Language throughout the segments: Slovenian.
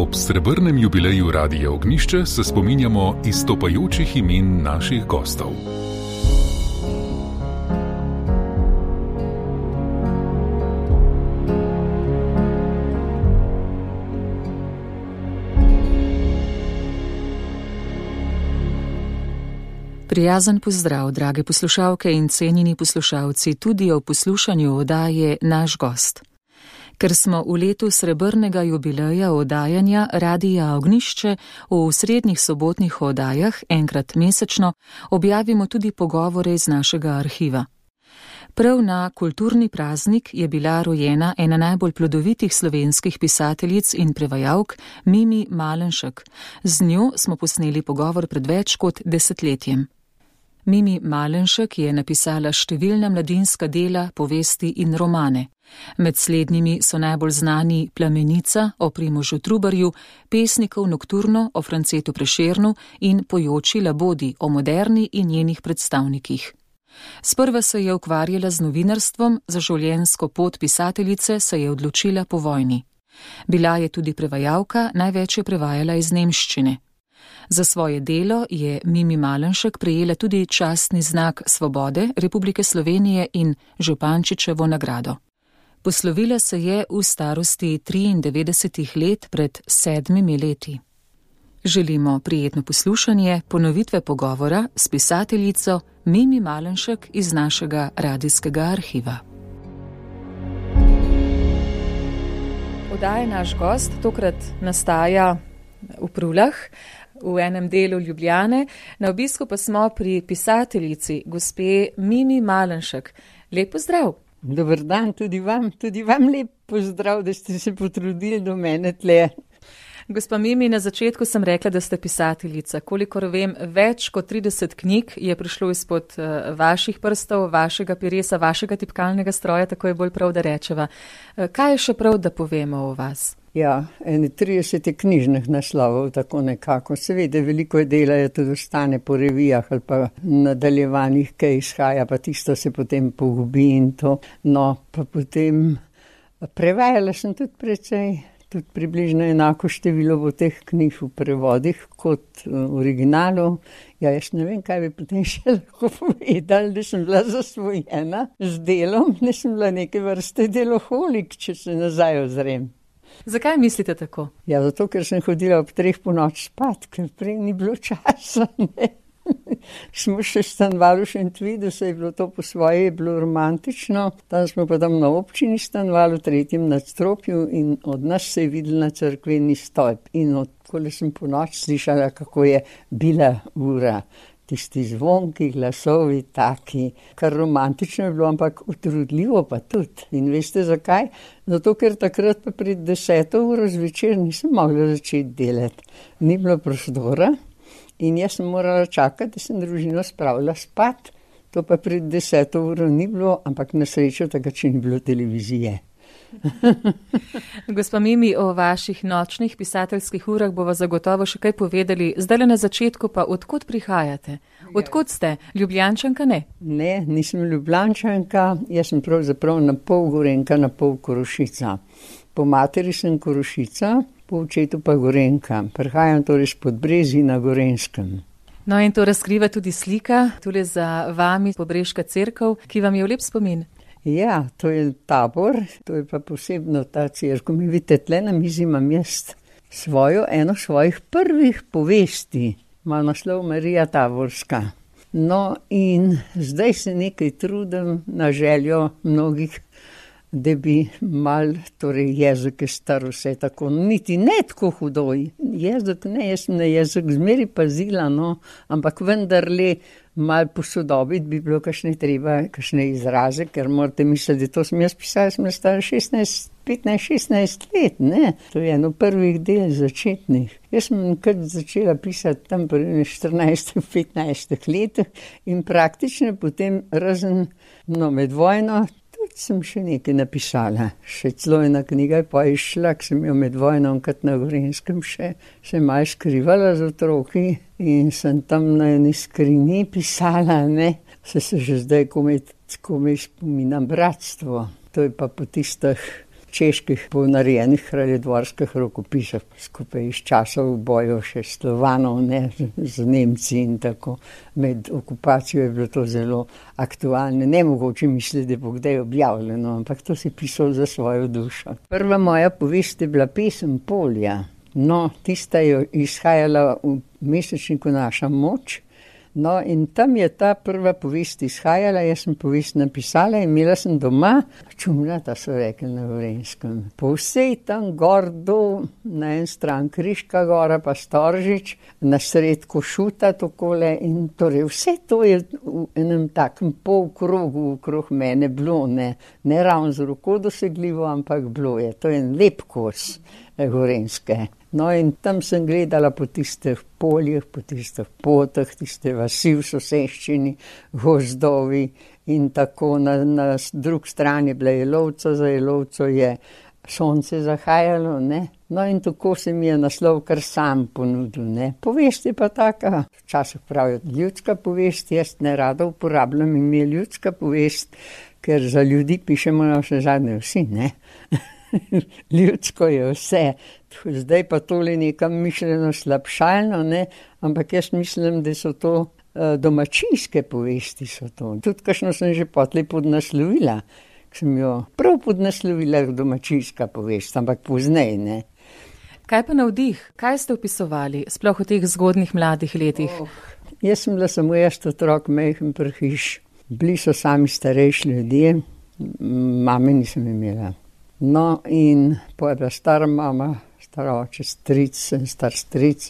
Ob srebrnem jubileju Radia Ognjišče se spominjamo izstopajočih imen naših gostov. Prijazen pozdrav, drage poslušalke in cenjeni poslušalci, tudi o poslušanju oddaje Naš gost. Ker smo v letu srebrnega jubileja oddajanja Radia Ognjišče v srednjih sobotnih oddajah enkrat mesečno objavimo tudi pogovore iz našega arhiva. Prav na kulturni praznik je bila rojena ena najbolj plodovitih slovenskih pisateljic in prevajalk, Mimi Malenšek. Z njo smo posneli pogovor pred več kot desetletjem. Mimi Malenšek je napisala številna mladinska dela, povesti in romane. Med slednjimi so najbolj znani Plamenica o Primožu Trubarju, Pesnikov nokturno o Francetu Prešernu in Pojoči labodi o Moderni in njenih predstavnikih. Sprva se je ukvarjala z novinarstvom, za življenjsko pot pisateljice se je odločila po vojni. Bila je tudi prevajalka, največ je prevajala iz nemščine. Za svoje delo je Mimi Malenšek prejela tudi častni znak Svobode Republike Slovenije in Župančičevo nagrado. Poslovila se je v starosti 93 let pred 7 leti. Želimo prijetno poslušanje ponovitve pogovora s pisateljico Mimi Malenšek iz našega radijskega arhiva. Oddaja Naš gost tokrat nastaja v Prulah, v enem delu Ljubljane. Na obisku pa smo pri pisateljici, gospe Mimi Malenšek. Lep pozdrav. Dober dan, tudi vam lep pozdrav, da ste se potrudili do mene tle. Gospa Mimi, na začetku sem rekla, da ste pisateljica. Kolikor vem, več kot 30 knjig je prišlo izpod vaših prstov, vašega peresa, vašega tipkalnega stroja, tako je bolj prav, da rečeva. Kaj je še prav, da povemo o vas? Ja, 30 knjižnih naslovov, tako nekako. Seveda, veliko je dela, je tudi ostane po revijah ali pa nadaljevanjih, kaj izhaja, pa tisto se potem pogubi in to. No, pa potem prevajala sem tudi precej, tudi približno enako število bo teh knjig v prevodih kot v originalu. Ja, jaz ne vem, kaj bi potem še lahko povedali, da sem bila zasvojena z delom, da sem bila neke vrste deloholik, če se nazaj ozrem. Zakaj mislite tako? Ja, zato, ker sem hodila ob 3 ponoči spat, ker prej ni bilo časa, ne. Smo še stanovali v Šentvidu, se je bilo to po svoje, je bilo romantično. Tam smo pa tam na občini stanovali v 3. nadstropju in od nas se je videl na cerkveni stolp. In odkoli sem po noči slišala, kako je bila ura. Tisti zvonki, glasovi, taki, kar romantično je bilo, ampak utrudljivo pa tudi. In veste zakaj? Zato, ker takrat pa pred 10. uro zvečer nisem mogla začeti delati. Ni bilo prostora in jaz sem morala čakati, da sem družino spravila spat. To pa pred 10. uro ni bilo, ampak na srečo takrat, če ni bilo televizije. Gospa Mimi, o vaših nočnih pisateljskih urah bova zagotovo še kaj povedali. Zdaj na začetku pa, odkot prihajate? Odkot ste? Ljubljančanka, ne? Ne, nisem Ljubljančanka, jaz sem pravzaprav na pol Gorenjka, na pol Korošica. Po materi sem Korošica, po očetu pa Gorenjka. Prihajam torej s Podbrezij na Gorenjskem. No in to razkriva tudi slika, tule za vami Pobreška cerkev, ki vam je v lep spomin. Ja, to je Tabor, to je pa posebno ta cerkev. Mi vidite, tle na mizi imam jaz eno svojih prvih povesti, ima naslov Marija Taborska. No in zdaj se nekaj trudim na željo mnogih, da bi mal, torej jezik je star vse tako, niti ne tako hudo. Jezik ne, jaz sem na jezik zmeri pazila, no, ampak vendarle mal posodobiti bi bilo kakšne izraze, ker morate misliti, da to sem jaz pisala, sem stara 15-16 let, ne. To je eno prvih del začetnih. Jaz sem kar začela pisati tam pri 14-15 letih in praktično potem razen, med vojno, tudi sem še nekaj napisala. Še celo ena knjiga je pa išla, ki sem jo med vojno enkrat na Gorenjskem še malo skrivala z otroki in sem tam na eni skrini pisala, ne. Se že zdaj komaj spominam Bratstvo. To je pa po tistih čeških ponarejenih kraljedvorskih rokopisov, skupaj iz časov bojev še Slovanov, ne, z Nemci in tako. Med okupacijo je bilo to zelo aktualno. Nemogoče misliti, da bo kdaj objavljeno, ampak to si pisal za svojo dušo. Prva moja povest je bila pesem Polja. No, tista je izhajala v mesečniku Naša moč. No, in tam je ta prva povest izhajala, jaz sem povest napisala in imela sem doma, čumljata so rekli na Gorenjskem. Po vsej tam gor dol, na en stran Kriška gora pa Storžič, na sred Košuta takole in torej vse to je v enem takem polkrogu okrog mene bilo, ne ravno z roko dosegljivo, ampak bilo je. To je en lep kos Gorenjske. No, in tam sem gledala po tistih poljih, po tistih potah, tiste vasi v soseščini, gozdovi in tako na drugi strani bila Jelovca, za Jelovco je sonce zahajalo, ne. No, in tako se mi je naslov kar sam ponudil, ne. Povest je pa taka, včasih pravijo ljudska povest, jaz ne rada uporabljam ime ljudska povest, ker za ljudi pišemo na vse zadnje vsi, ne. Ljudsko je vse. Zdaj pa tole nekam mišljeno slabšalno, ne, ampak jaz mislim, da so to domačijske povesti so to. Tudi kakšno sem že potlej podnaslovila, sem jo prav podnaslovila domačijska povest, ampak poznej, ne. Kaj pa navdih? Kaj ste opisovali, sploh v teh zgodnjih mladih letih? Jaz sem bila samo jaz otrok, majhen prhiš. Bili so sami starejši ljudje, mame nisem imela. No, in po je bila stara mama, stara oče, stric, star stric,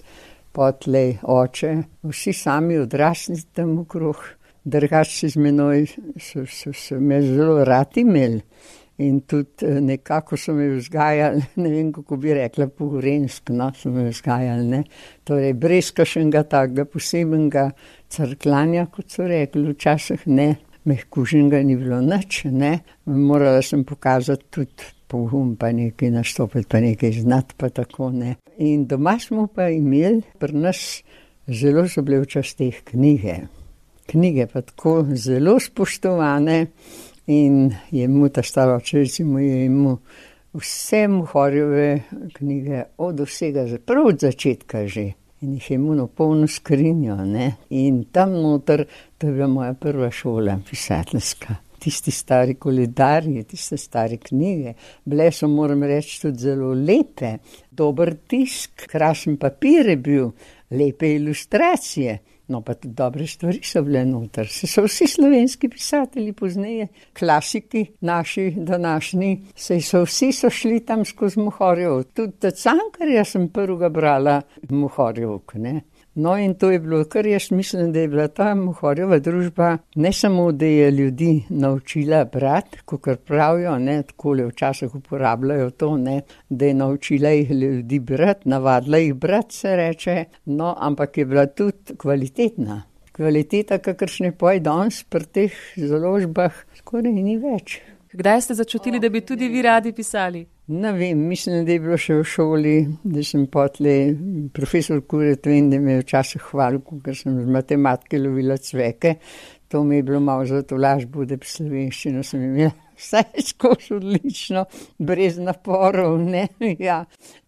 potlej oče, vsi sami odrasli tam okrog. Drugače z menoj so me zelo radi imeli in tudi nekako so me vzgajali, ne vem, kako bi rekla, po gorenjsko, no, so me vzgajali, ne. Torej, brez kakšnega takega posebnega crkljanja, kot so rekli, včasih ne, mehkuženega ni bilo nič, ne. Morala sem pokazati tudi pogum, pa nekaj nastopiti, pa nekaj znati, pa tako, ne. In doma smo pa imeli, pri nas zelo so bile včasih knjige. Knjige pa tako zelo spoštovane in je mu ta stara oče, recimo je mu vse Muhorjeve knjige od vsega, prav od začetka že. In jih je mu na polno skrinjo, ne. In tam noter, to je bila moja prva šola pisateljska. Tisti stari koledarji, tiste stare knjige, bile so, moram reči, tudi zelo lepe. Dober tisk, krasen papir je bil, lepe ilustracije. No, pa tudi dobre stvari so bile noter. So vsi slovenski pisatelji pozneje, klasiki naši današnji, so vsi šli tam skozi Muhorjev. Tudi Cankarja sem prvega brala Muhorjevk, ne. No, in to je bilo, kar jaz mislim, da je bila ta Muhorjeva družba ne samo, da je ljudi naučila brati, kakor pravijo, ne, takole včasih uporabljajo to, ne, da je naučila jih ljudi brati, navadila jih brati, se reče, no, ampak je bila tudi kvalitetna. Kvaliteta, kakršne pa je danes pri teh založbah, skoraj ni več. Kdaj ste začutili, da bi tudi vi radi pisali? Ne vem, mislim, da je bilo še v šoli, da sem potlej, profesor Kuret, vem, da me je včasih hvalil, ker sem z matematike lovila cveke. To mi je bilo malo za tolažbo, da bi slovenščino sem imela vsaj skozi odlično, brez naporov, ne, ja.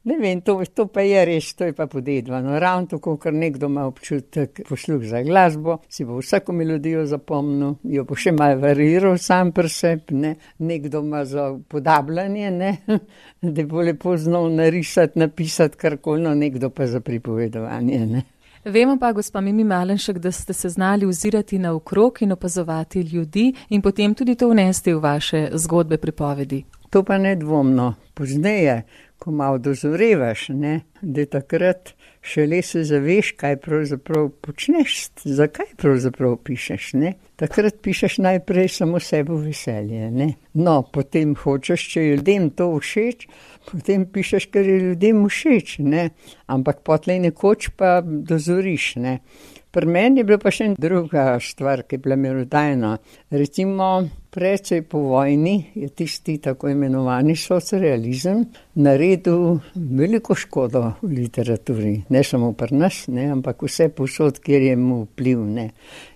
Ne vem, to pa je res, to je pa podedvano. Ravno tako, ker nekdo ima občutek posluh za glasbo, si bo vsako melodijo zapomnil, jo bo še malo variral sam pri sebi, ne. Nekdo ima za podabljanje, ne, da bo lepo znal narisati, napisati karkoli, no, nekdo pa za pripovedovanje, ne. Vemo pa, gospa Mimi Malenšek, da ste se znali ozirati naokrog in opazovati ljudi in potem tudi to vnesti v vaše zgodbe, pripovedi. To pa nedvomno. Pozneje, ko malo dozorevaš, ne, da takrat šele se zaveš, kaj pravzaprav počneš, zakaj pravzaprav pišeš, ne. Takrat pišeš najprej samo sebo veselje, ne. No, potem hočeš, če je ljudem to všeč, potem pišeš, ker je ljudem všeč, ne. Ampak potlej nekoč pa dozoriš, ne. Pri meni je bila pa še druga stvar, ki je bila merodajna. Recimo, precej po vojni je tisti tako imenovani socrealizem naredil veliko škodo v literaturi. Ne samo pri nas, ne, ampak vse povsod, kjer je mu vpliv, ne.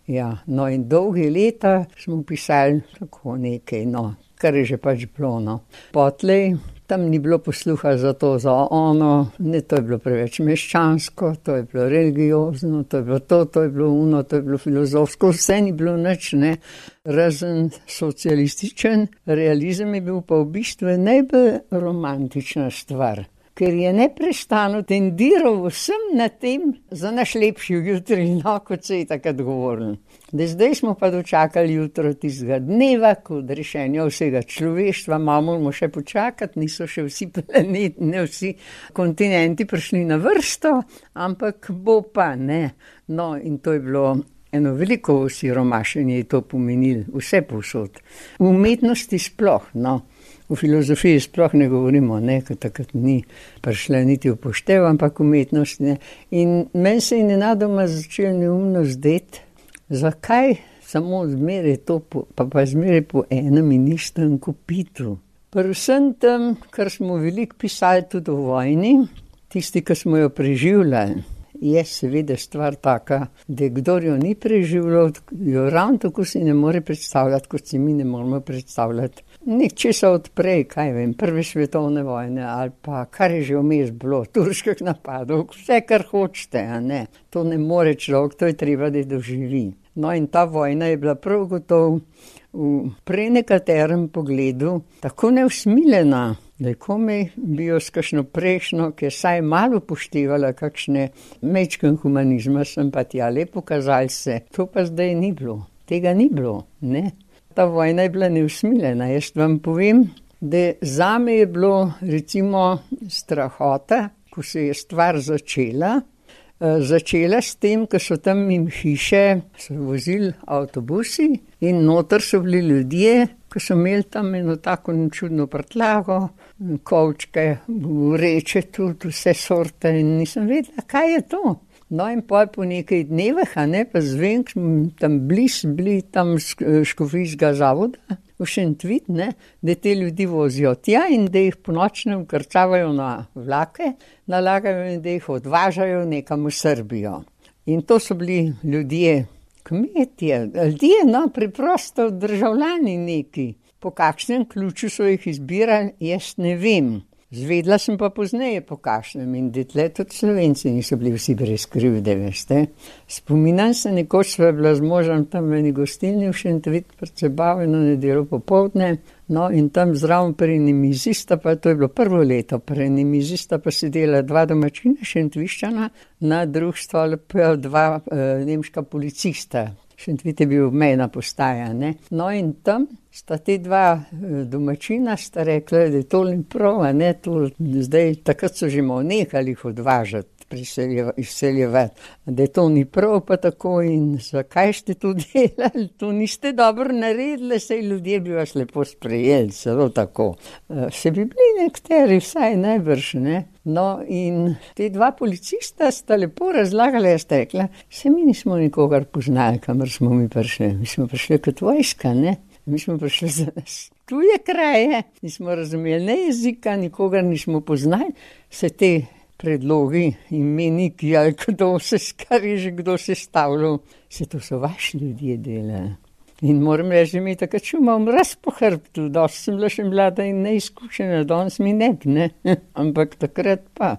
Ja, no in dolge leta smo pisali tako nekaj, no, kar je že pač bilo, no. Potlej tam ni bilo posluha za to, za ono, ne, to je bilo preveč meščansko, to je bilo religiozno, to je bilo to je bilo ono, to je bilo filozofsko, vse ni bilo nič, ne, razen socialističen realizem je bil pa v bistvu najbolj romantična stvar, ker je neprestano tendiral vsem na tem za naš lepši jutri, no, kot se je takrat govoril. Zdaj smo pa dočakali jutro tistega dneva, kot rešenja vsega človeštva, moramo še počakati, niso še vsi planeti, ne vsi kontinenti prišli na vrsto, ampak bo pa, ne. No, in to je bilo eno veliko osiromašenje, je to pomenilo, vse povsod. V umetnosti sploh, no. V filozofiji sploh ne govorimo, ne, ker takrat ni prišla niti upoštev, ampak umetnost, ne. In meni se je nenadoma začelo neumno zdeti, zakaj samo zmeraj to, pa zmeraj po enem in istem kopitu. Pri vsem tem, kar smo veliko pisali tudi o vojni, tisti, ki smo jo preživljali, je seveda stvar taka, da kdor jo ni preživljal, jo ravno tako si ne more predstavljati, kot si mi ne moramo predstavljati. Nečesa odprej, kaj vem, prve svetovne vojne ali pa kar je že vmes bilo, turških napadov, vse kar hočete, a ne. To ne more človek, to je treba, da doživi. No in ta vojna je bila prav gotovo v prenekaterem pogledu tako neusmiljena, da je komaj bi jo s kakšno prejšnjo, ki je saj malo upoštevala kakšne mečken humanizma, sem pa tja lepo kazali se. To pa zdaj ni bilo, tega ni bilo, ne. Ta vojna je bila neusmiljena. Jaz vam povem, da zame je bilo recimo strahota, ko se je stvar začela. Začela s tem, ko so tam mimo hiše so vozili avtobusi in noter so bili ljudje, ko so imeli tam eno tako čudno prtljago, kovčke, vreče tudi, vse sorte in nisem vedela, kaj je to. No in po nekaj dnevih, a ne, pa zvem, tam bili tam škofijskega zavoda, v Šentvid, ne, da te ljudi vozijo tja in da jih po nočnem vkrcavajo na vlake, nalagajo in da jih odvažajo nekam v Srbijo. In to so bili ljudje, kmetje, ljudje, no, preprosto državljani neki. Po kakšnem ključu so jih izbirali, jaz ne vem. Zvedla sem pa pozneje po kakšnem in detle tudi Slovenci niso bili vsi brez krivde, veste. Spominam se, nekoč sva bila z možem tam v eni gostilni v Šentvid pred sebavo eno nedeljo popoldne, no in tam zraven pri eni mizi sta pa, to je bilo prvo leto, pri eni mizi sta pa sedela dva domačina Šentviščana, na drug stol pa dva nemška policista. Šentvid je bil mejna postaja, ne. No in tam sta te dva domačina sta rekla, da je to ni prav, a ne, to zdaj, takrat so že malo nehali jih odvažati, izseljevati, da je to ni prav pa tako in zakaj ste to delali, to niste dobro naredili, saj ljudje bi vas lepo sprejeli, celo tako. Se bi bili nekateri, vsaj najbrž, ne. No in te dva policista sta lepo razlagali, jaz rekla, se mi nismo nikogar poznali, kamor smo mi prišli, mi smo prišli kot vojska, ne. Mi smo prišli za nas tuje kraje, nismo razumeli ne jezika, nikogar nismo poznali, se te predlogi, imeniki ali kdo se, kar je že kdo sestavljal, se to so vaši ljudje delali. In moram reči, da mi takrat čumam raz po hrbtu, dosti sem bila še mlada in neizkušena, danes mi ne bi, ne, ampak takrat pa.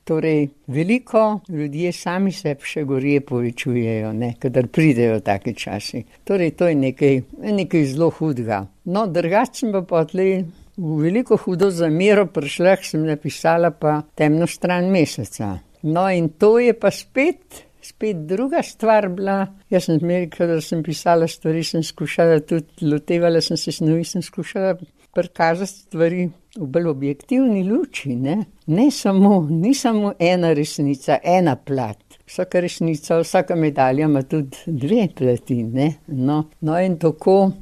Torej, veliko ljudje sami sebi še gorje povečujejo, ne, kadar pridejo taki časi. Torej, to je nekaj zelo hudega. No, drugače sem pa potlej v veliko hudo zamero prišla, sem napisala pa Temno stran meseca. No, in to je pa spet druga stvar bila. Jaz sem zmeraj, kadar sem pisala stvari, sem skušala tudi, lotevala sem se snovi, sem skušala prikazati stvari v bolj objektivni luči, ne. Ni samo ena resnica, ena plat. Vsaka resnica, vsaka medalja ima tudi dve plati, ne. No in tako,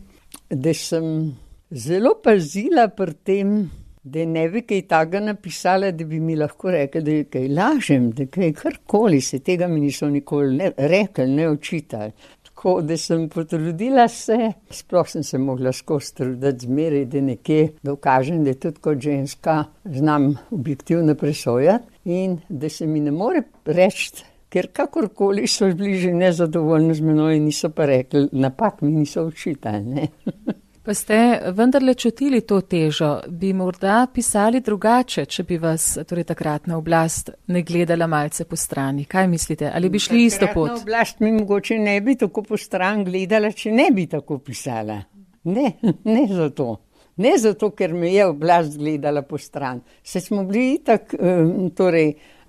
da sem zelo pazila pri tem, da ne bi kaj takega napisala, da bi mi lahko rekli, da kaj lažem, da kaj karkoli, se tega mi niso nikoli ne rekli, ne očitali. Tako, da sem potrudila se, sploh sem se mogla skozi truditi zmeraj, da nekje dokažem, da tudi kot ženska znam objektivno presojati in da se mi ne more reči, ker kakorkoli so bili že nezadovoljni z menoj in niso pa rekli, napak mi niso očitali, ne. Pa ste vendarle čutili to težo, bi morda pisali drugače, če bi vas torej takratna oblast ne gledala malce po strani. Kaj mislite, ali bi šli isto pot? Takratna oblast mi mogoče ne bi tako po stran gledala, če ne bi tako pisala. Ne zato. Ne zato, ker me je oblast gledala po stran. Se smo bili itak,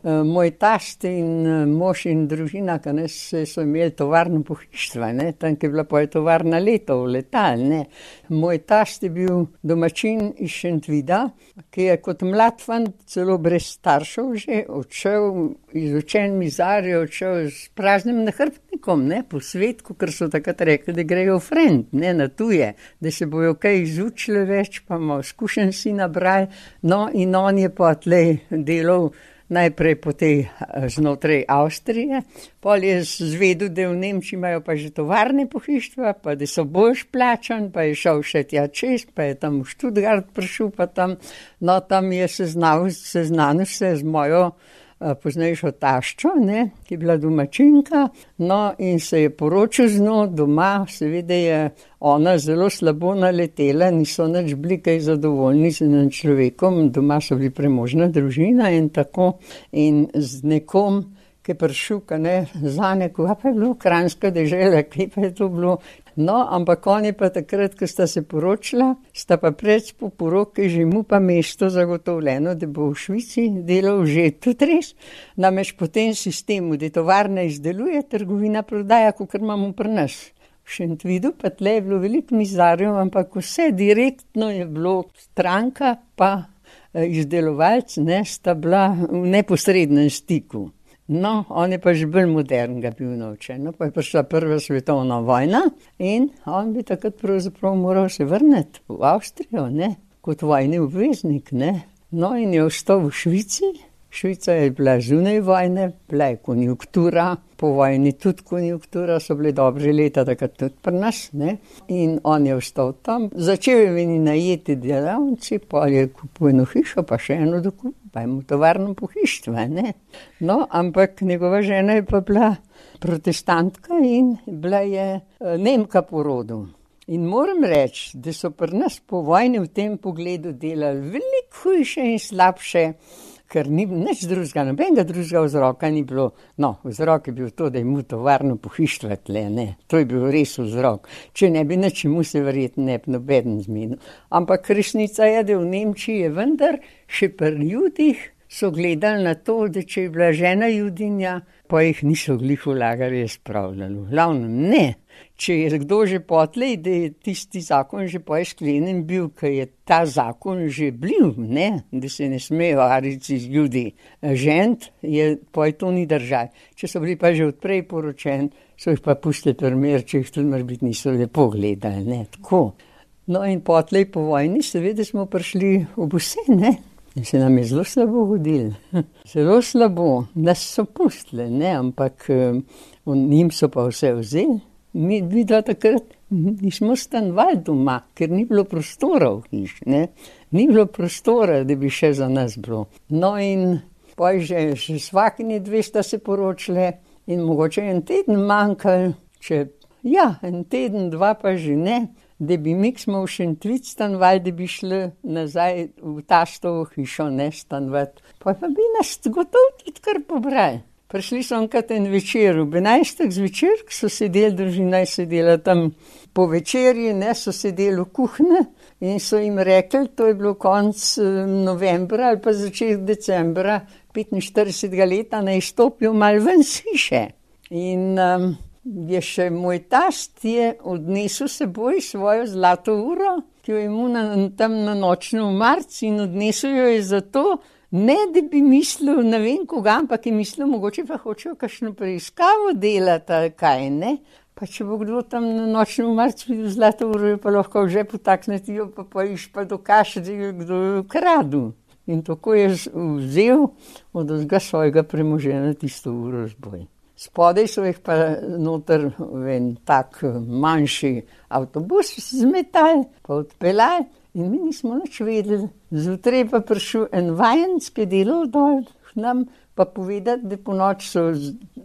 moj tast in mož in družina, ki so imeli tovarno pohištva, tam, ki je bila tovarna letal, ne. Moj tast je bil domačin iz Šentvida, ki je kot mlad fant, celo brez staršev že, odšel, izučen mizar, je odšel s praznim nahrbtnikom, po svet, ker so takrat rekli, da grejo frend, na tuje, da se bojo kaj izučili več, pa malo skušen si nabrali, no in on je pa tlej delal najprej po tej znotraj Avstrije, pol je zvedel, da v Nemčiji imajo pa že tovarne pohištva, pa da so boljš plačan, pa je šel še tja čez, pa je tam v Študgart prišel, pa tam je seznanil se z mojo poznejšo taščo, ki je bila domačinka, in se je poročil z njo doma, seveda je ona zelo slabo naletela, niso nič bili kaj zadovoljni z enim človekom, doma so bili premožna družina in tako, in z nekom, ki je prišel, za neko, pa je bilo Kranjska dežela, kaj pa je to bilo. No, ampak on je pa takrat, ko sta se poročila, sta pa pred po poroki že mu pa mesto zagotovljeno, da bo v Švici delal že tudi res. Namreč po tem sistemu, da tovarna izdeluje, trgovina prodaja, kakor imamo pri nas. V Šentvidu pa tle je bilo veliko mizarjev, ampak vse direktno je bilo stranka pa izdelovalc, sta bila v neposrednem stiku. No, on je pa že bolj modern ga bil naučen, pa je prišla prva svetovna vojna in on bi takrat pravzaprav moral se vrniti v Avstrijo, kot vojni obveznik, No, in je ostal v Švici. Švica je bila zunaj vojne, bila je konjunktura, po vojni tudi konjunktura, so bile dobre leta, takrat tudi pri nas, In on je ostal tam, začel je meni najeti delavci, pa je kupil eno hišo, pa še eno dokup, pa je mu tovarno pohištva, No, ampak njegova žena je pa bila protestantka in bila je Nemka po rodu. In moram reči, da so pri nas po vojni v tem pogledu delali veliko hujše in slabše, ker ni nič drugega, nobenega drugega vzroka ni bilo. No, vzrok je bil to, da je mu tovarno pohištva tle, To je bil res vzrok. Če ne bi nič, mu se verjetno ne bi nobeden zmenil. Ampak resnica je, da v Nemčiji je vendar še pri ljudih so gledali na to, da če je bila žena Judinja, pa jih niso glih v lagarje spravljali. V glavnem ne. Če je kdo že potlej, da je tisti zakon že pa sklenjen bil, ker je ta zakon že bil, da se ne smejo arici z ljudi žent, pa je to ni držal. Če so bili pa že odprej poročeni, so jih pa pustili primer, če jih tudi morbiti niso lepo gledali, tako. No in potlej po vojni seveda smo prišli v vse, In se nam je zelo slabo hodilo. Zelo slabo, nas so pustili, ampak njim so pa vse vzeli. Mi dva takrat nismo stanovali doma, ker ni bilo prostora v hiš, Ni bilo prostora, da bi še za nas bilo. No in pa že svakini dve sta se poročile in mogoče en teden manjkal, en teden, dva pa že ne, da bi mi, ki smo v Šentvid stanovali, da bi šli nazaj v tastovo hišo, stanovati. Pa bi nas gotovo tudi kar pobrali. Prišli so enkrat en večer, ob 11. zvečer, ko so sedeli, družina je sedela tam po večerji, so sedeli v kuhni in so jim rekli, to je bilo konec novembra ali pa začetek decembra 45. leta, naj stopijo malo ven s hiše. In je še moj tast je odnesel seboj svojo zlato uro, ki jo je imel tam na nočnem marcu in odnesel jo je zato, ne da bi mislil, ne vem koga, ampak je mislil, mogoče pa hočejo kakšno preiskavo delati ali kaj, Pa če bo kdo tam na nočnem marcu videl zlato uro, je pa lahko že potakniti jo, pa iš pa dokaže, da je kdo jo ukradel. In tako je vzel od vsega svojega premoženja tisto uro zboj. Spodaj so jih pa noter v en tak manjši avtobus zmetali, pa odpeljali in mi nismo nič vedeli. Zjutraj pa prišel en vajenec, ki je delal dol k nam, pa povedati, da po noč so,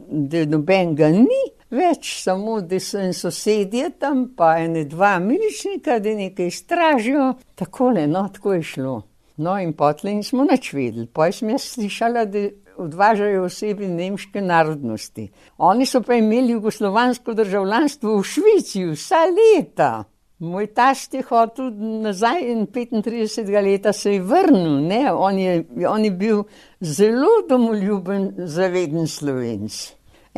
da nobenega ni, več, samo da so en sosedje tam, pa ene dva miličnika, da nekaj stražijo. Takole, no, tako je šlo. No, in potlej nismo nič vedeli. Poj sem jaz slišala, da odvažajo osebi nemške narodnosti. Oni so pa imeli jugoslovansko državljanstvo v Švici vsa leta. Moj tast je hotel nazaj in 35 leta se je vrnil, ne. On je bil zelo domoljuben, zaveden Slovenc.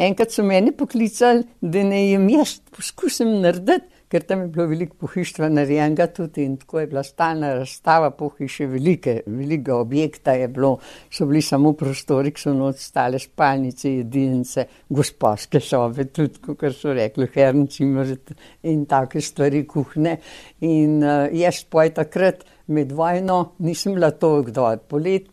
Enkrat so mene poklicali, da ne jem jaz poskusim narediti, ker tam je bilo veliko pohištva narejenega tudi in tako je bila stalna razstava pohiše velikega objekta je bilo, so bili samo prostori, ki so noč stale spalnice, jedilnice, gosposke sobe, tudi, kakor so rekli, herncimer in take stvari, kuhne. In jaz poj takrat med vojno nisem bila toliko dol,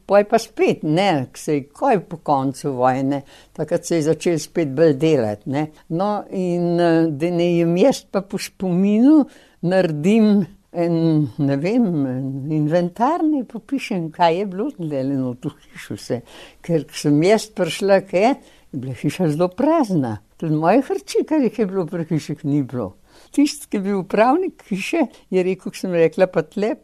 poj pa spet, ne, ko je po koncu vojne, takrat se je začel spet bolj delati, ne. No, in da ne jem jaz pa po spominu naredim ne vem, inventar, ne popišem, kaj je bilo deleno v hišu vse. Ker sem jaz prišla, je bila hiša zelo prazna. Tudi moje hrči, kar jih je bilo pri hiših, ni bilo. Tisti, ki je bil upravnik hiše, je rekel, ko sem rekla, pa tle,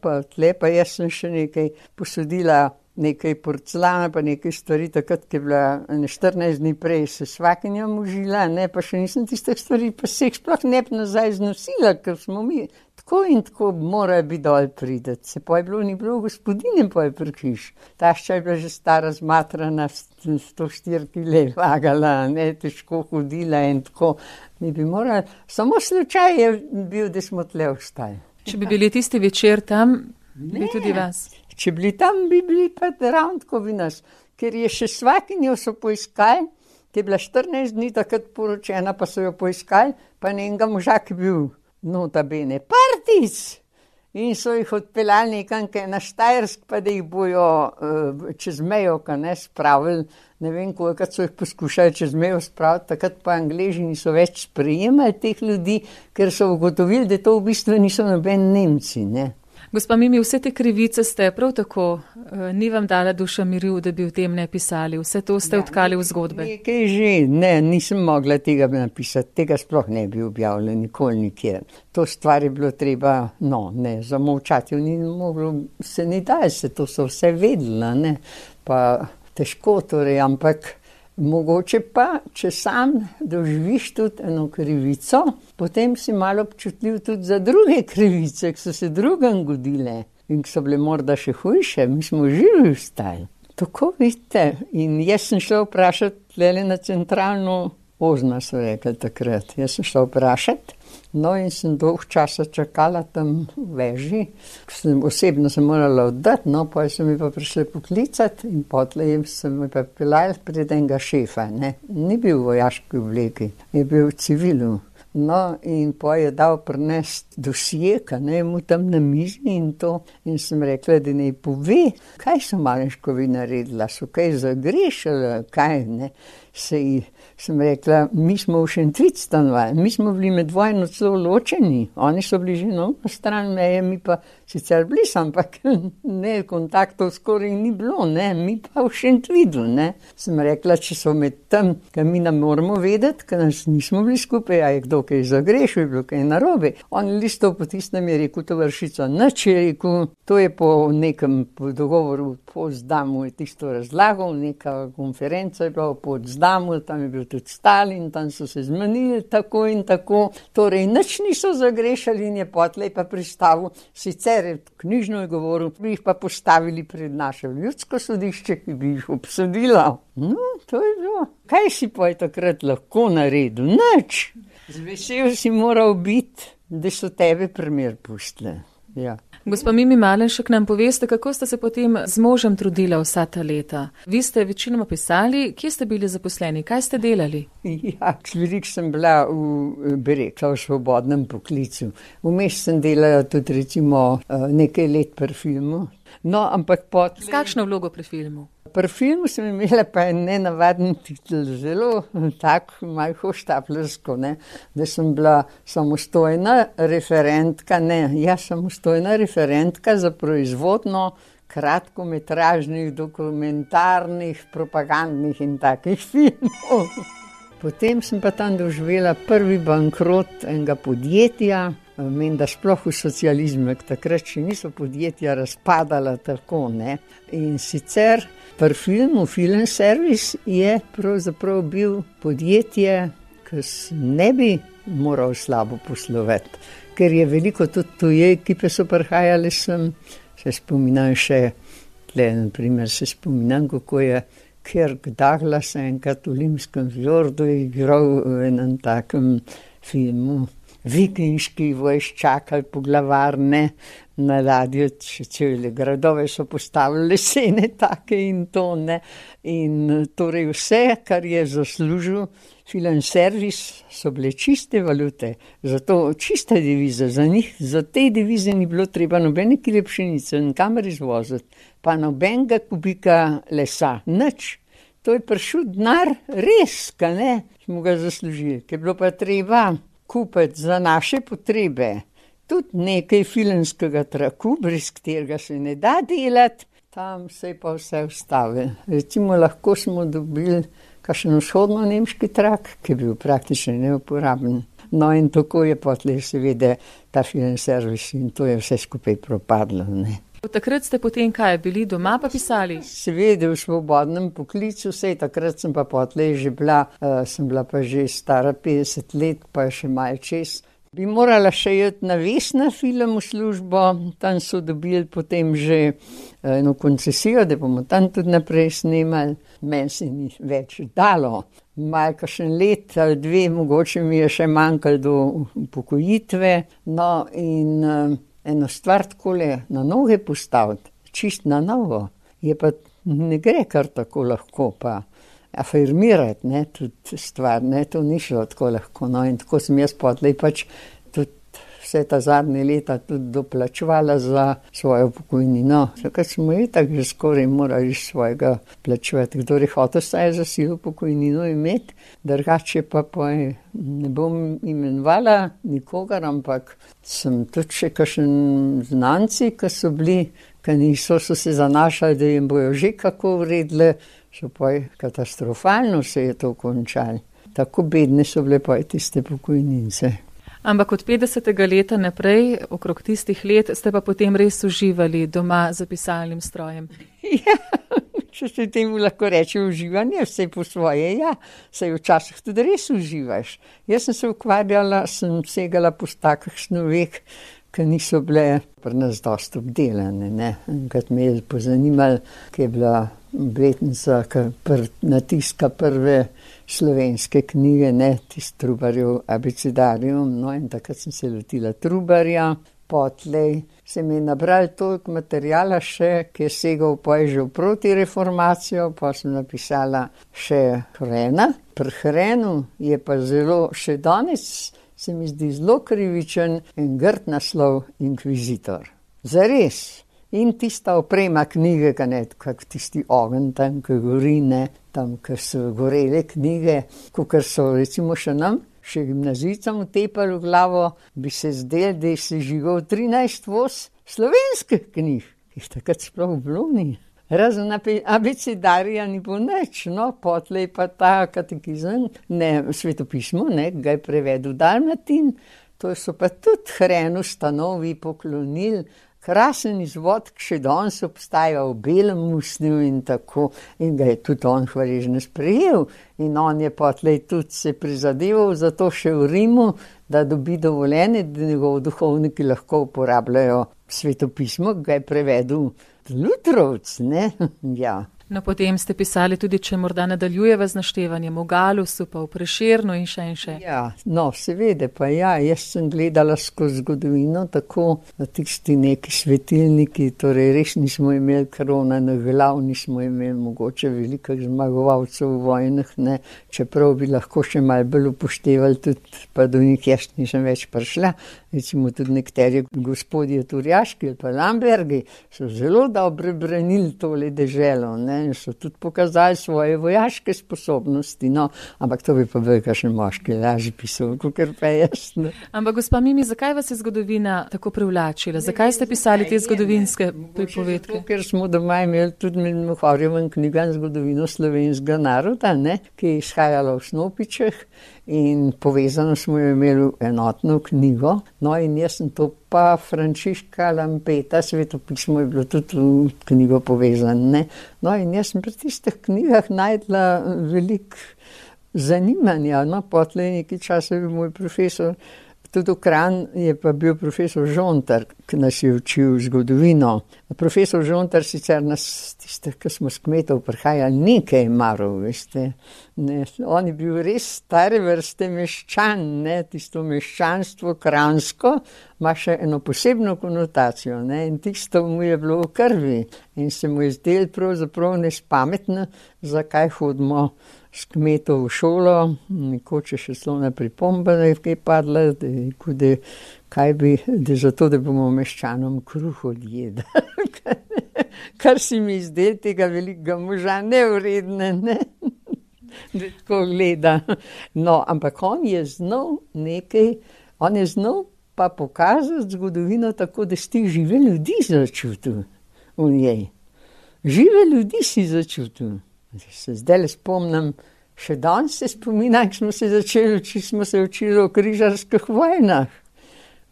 pa jaz sem še nekaj posodila, nekaj porcelana, pa nekaj stvari, takrat, ki je bila 14 dni prej se svakinja možila, ne, pa še nisem tistih stvari, pa se jih sploh ne bi nazaj znosila, ker smo mi tako in tako morajo biti dol prideti. Se pa je bilo, ni bilo gospodine pa je pri hiš. Tašča je bila že stara zmatrana, 104 kile vagala, ne, težko hodila in tako. Mi bi morali, samo slučaj je bil, da smo tle ostali. Če bi bili tisti večer tam, bi tudi vas. Če bili tam, bi bili pa ravno tako bi nas. Ker je še svakinjo so poiskali, ki je bila 14 dni takrat poročena, pa so jo poiskali, pa njenega moža, ki je bil nota bene partic. In so jih odpeljali nekam na Štajersk, pa da jih bojo čez mejo, ne, spravili. Ne vem, kolikrat so jih poskušali čez mejo spraviti, takrat pa Angleži niso več sprejemali teh ljudi, ker so ugotovili, da to v bistvu niso noben Nemci, ne. Gospa Mimi, vse te krivice ste prav tako, ni vam dala duša miru, da bi o tem ne pisali. Vse to ste odkali v zgodbe. Nekaj že, ne, nisem mogla tega napisati, tega sploh ne bi objavila nikoli nikjer. To stvar je bilo treba, zamolčati, se ni daj se, to so vse vedela, ne, pa težko torej, ampak mogoče pa, če sam doživiš tudi eno krivico, potem si malo občutljiv tudi za druge krivice, ki so se drugam godile in ki so bile morda še hujše, mi smo živi vstali. Tako vidite, in jaz sem šla vprašati tlele na centralno Ozna, so rekli takrat. Jaz sem šla vprašati, no in sem dolg časa čakala tam v veži, osebno sem morala oddati, no, pa so mi pa prišli poklicati in potlej sem mi pa pelali pred enega šefa, ne. Ni bil v vojaški obleki, je bil v civilu. No, in pa je dal prinesti dosje, ne, mu tam na mizi in to. In sem rekla, da naj pove, kaj so Malenškovi naredila, so kaj zagrešili, kaj, ne. Sem rekla, mi smo v Šentvid stanovali, mi smo bili med vojno celo ločeni, oni so bili že na stran meje, mi pa sicer bili, ampak ne, kontaktov skoraj ni bilo, ne, mi pa v Šentvidu, ne. Sem rekla, če so med tem, kaj mi ne moramo vedeti, ker nas nismo bili skupaj, a je kdo kaj zagrešil, je bilo kaj narobe. On listov po tistem je rekel, tovarišica, nič je rekel, to je po nekem dogovoru, po Potsdamu je tisto razlagal, neka konferenca je bila v Potsdamu, tam je bil tudi Stalin, tam so se zmenili tako in tako, torej nič niso zagrešali in je potlej pa pristavil, sicer je knjižno je govoril, bi jih pa postavili pred naše ljudsko sodišče, ki bi jih obsodila. No, to je bilo. Kaj si pa je takrat lahko naredil? Nič. Zvesel si moral biti, da so tebe primer pustili. Ja. Gospa Mimi Malenšek, nam poveste, kako ste se potem z možem trudila vsa ta leta? Vi ste večinoma pisali, kje ste bili zaposleni, kaj ste delali? Ja, veliko sem bila v svobodnem poklicu. Vmes sem delala tudi recimo nekaj let pri filmu. No, ampak S kakšno vlogo pri filmu? Pri filmu sem imela pa nenavaden titel, zelo tak, malo hoštaplersko, ne, da sem bila samostojna referentka, samostojna referentka za proizvodno kratkometražnih, dokumentarnih, propagandnih in takih filmov. Potem sem pa tam doživela prvi bankrot enega podjetja, meni da sploh v socializmu, takrat še niso podjetja razpadala tako, ne. In sicer pri filmu Film Service je pravzaprav bil podjetje, ki ne bi moral slabo poslovati, ker je veliko tudi tuje ekipe so prihajale sem, se spominjam še, tle na primer se spominjam, kako je Kirk Douglas enkrat v Limskem fjordu igral v enem takem filmu. Vikinški vojščakali poglavarne na ladjo, cele gradove so postavili lesene take in to, ne. In torej vse, kar je zaslužil Film Service, so bile čiste valute, zato čiste devize za njih, za te devize ni bilo treba nobene kile pšenice, nikamor izvoziti, pa nobenega kubika lesa, nič. To je prišel denar res, ka ne, smo ga zaslužili, ker je bilo pa treba kupiti za naše potrebe tudi nekaj filmskega traku, brez katerega se ne da delati, tam se je pa vse ustavilo. Recimo lahko smo dobili kakšen vzhodno-nemški trak, ki je bil praktično neuporaben. No in tako je potlej seveda ta Film Service in to je vse skupaj propadlo, ne. Takrat ste potem kaj, bili doma pa pisali? Seveda v svobodnem poklicu, sej takrat sem pa potlej že bila, sem bila pa že stara 50 let, pa še malo čez. Bi morala še iti na Vesna film v službo, tam so dobili potem že eno koncesijo, da bomo tam tudi naprej snemali. Meni se ni več dalo. Malo kakšen let ali dve, mogoče mi je še manjkalo do upokojitve. No in eno stvar takole na noge postaviti, čist na novo, je pa ne gre kar tako lahko pa afirmirati, ne, tudi stvar, ne, to ni šlo tako lahko, no, in tako sem jaz potlej pač tudi vse ta zadnje leta tudi doplačevala za svojo pokojnino. Takrat smo itak že skoraj morali svojega plačevati, kdor je hotel saj za silo pokojnino imeti, drugače pa ne bom imenovala nikogar, ampak sem tudi še kakšen znanci, ki so bili, ki niso so se zanašali, da jim bojo že kako uredile, so pa katastrofalno se je to končalo. Tako bedne so bile pa tiste pokojnince. Ampak od 50. leta naprej, okrog tistih let, ste pa potem res uživali doma za pisalnim strojem. Ja, če se temu lahko reče uživanje, vse po svoje, ja, saj včasih tudi res uživaš. Jaz sem se ukvarjala, sem segala po takih snoveh, ki niso bile pri nas dosti obdelane, ne. Enkrat me je pozanimalo, ki je bila obletnica, ki natiska prve slovenske knjige, ne, tist Trubarjev abecedarijum, no in takrat sem se lotila Trubarja, potlej se mi je nabral toliko materijala še, ki je segal že v protireformacijo, pa sem napisala še Hrena. Pri Hrenu je pa zelo, še danes se mi zdi zelo krivičen in grd naslov Inkvizitor. Zares. In tista oprema knjige, kak tisti ogenj tam, ki gori, ne, tam, ker so gorele knjige, kakor so recimo še nam, še gimnazijcem utepali v glavo, bi se zdelo, da je se živel 13 voz slovenskih knjig, ki jih takrat sploh bilo ni. Razen abecedarija ni bilo nič, no, potlej pa ta katekizem, ne, svetopismo, ne, ga je prevedel Dalmatin, to so pa tudi Hrenu stanovi poklonili. Krasen izvod, ki še danes obstaja v belem usnju in tako, in ga je tudi on hvaležno sprejel. In on je potlej tudi se prizadeval za to še v Rimu, da dobi dovoljenje, da njegov duhovniki lahko uporabljajo svetopismo, ga je prevedel Lutrovc, ne, ja. No, potem ste pisali tudi, če morda nadaljujeva z naštevanjem o Galusu, pa v Prešernu in še in še. Ja, no, seveda, pa ja, jaz sem gledala skozi zgodovino, tako na tisti neki svetilniki, torej res nismo imeli krona na glav, nismo imeli mogoče velikih zmagovalcev v vojnah, ne, čeprav bi lahko še malo bolj upoštevali tudi, pa do njih jaz nisem več prišla. Recimo tudi nekateri gospodje Turjaški ali pa Lambergi so zelo dobro branili tole deželo, ne. ne, in so tudi pokazali svoje vojaške sposobnosti, no, ampak to bi pa bil kakšen moški lažje pisal, kakor pa jaz. Ne. Ampak gospa Mimi, zakaj vas je zgodovina tako privlačila? Zakaj ste pisali te zgodovinske pripovedke? Zato, ker smo doma imeli tudi med Mohorjevem knjigam zgodovino slovenskega naroda, ne, ki je izhajala v Snopičeh in povezano smo jo imeli enotno knjigo. No in jaz sem to pa Frančiška Lampeta, svetopismo je bilo tudi v knjigo povezano, ne. No in jaz sem pri tistih knjigah najdla veliko zanimanja, no, potlej nekaj časa je bil moj profesor, tudi v Kranju je pa bil profesor Žontar, ki nas je učil zgodovino. Profesor Žontar sicer nas, tiste, ki smo s kmetov prihajali, nekaj maral, veste. Ne, on je bil res stare vrste meščan, ne, tisto meščanstvo kranjsko ima še eno posebno konotacijo, ne, in tisto mu je bilo v krvi in se mu je zdelo pravzaprav nespametno, zakaj hodimo s kmetov v šolo, nekoč je še slovna pripomba, da je kaj padla, da kaj bi, da zato, da bomo meščanom kruh odjedali. Kar si mi zdel tega velikega moža nevredne, ne? Da tako gleda. No, ampak on je znal pa pokazati zgodovino tako, da si ti žive ljudi začutil v njej. Žive ljudi si začutil. Se zdaj spomnim, še danes se spominam, ko smo se učili o križarskih vojnah.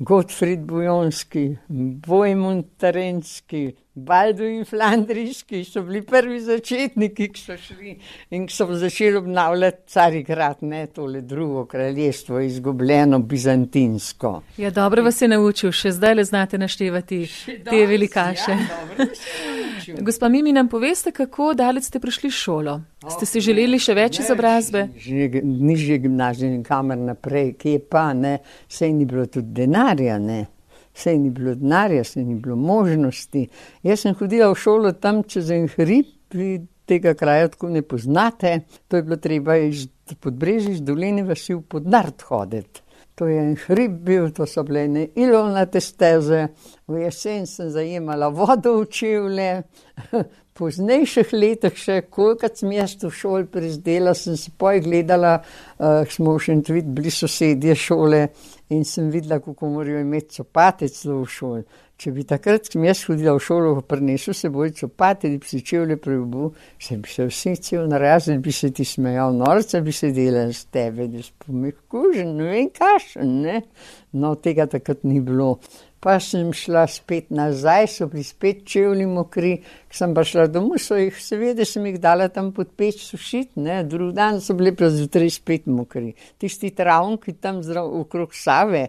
Gottfried Bujonski, Vojmund Terenski, Balduin Flandrijski so bili prvi začetniki, ki so šli in ki so začeli obnavljati Carigrad, ne, tole drugo kraljestvo, izgubljeno bizantinsko. Ja, dobro vas je naučil, še zdaj le znate naštevati te velikaše. Ja, dobro vas je naučil. Gospa Mimi, nam poveste, kako daleč ste prišli šolo? Ste si želeli še več izobrazbe? Nižje gimnazije in kamer naprej, kje pa, ne, saj ni bilo tudi denarja, ne. Sej ni bilo denarja, sej ni bilo možnosti. Jaz sem hodila v šolo tam čez en hrib, vi tega kraja tako ne poznate. To je bilo treba iz Podbrežja, iz Doline vasi v Podnard hoditi. To je en hrib bil, to so bile ene ilovnate steze. V jesen sem zajemala vodo v čevlje. Po poznejših letih še, kolikrat sem jaz v šoli prizdela, sem se poj gledala, smo v Šentvid bili sosedje šole in sem videla, kako morajo imeti copate celo v šoli. Če bi takrat, ko sem jaz hodila v šolo, prinesel seboj copate, da bi se čevlje preobu, se bi se vsi cel narazen, bi se ti smejal, norca bi se delal s tebe, da si pomehkužen, ne vem kašen, ne. No, tega takrat ni bilo. Pa sem šla spet nazaj, so bili spet čevlji mokri, ko sem pa šla domov, seveda sem jih dala tam pod peč sušiti, ne, drug dan so bili pa zjutraj spet mokri. Tisti travnki tam okrog Save,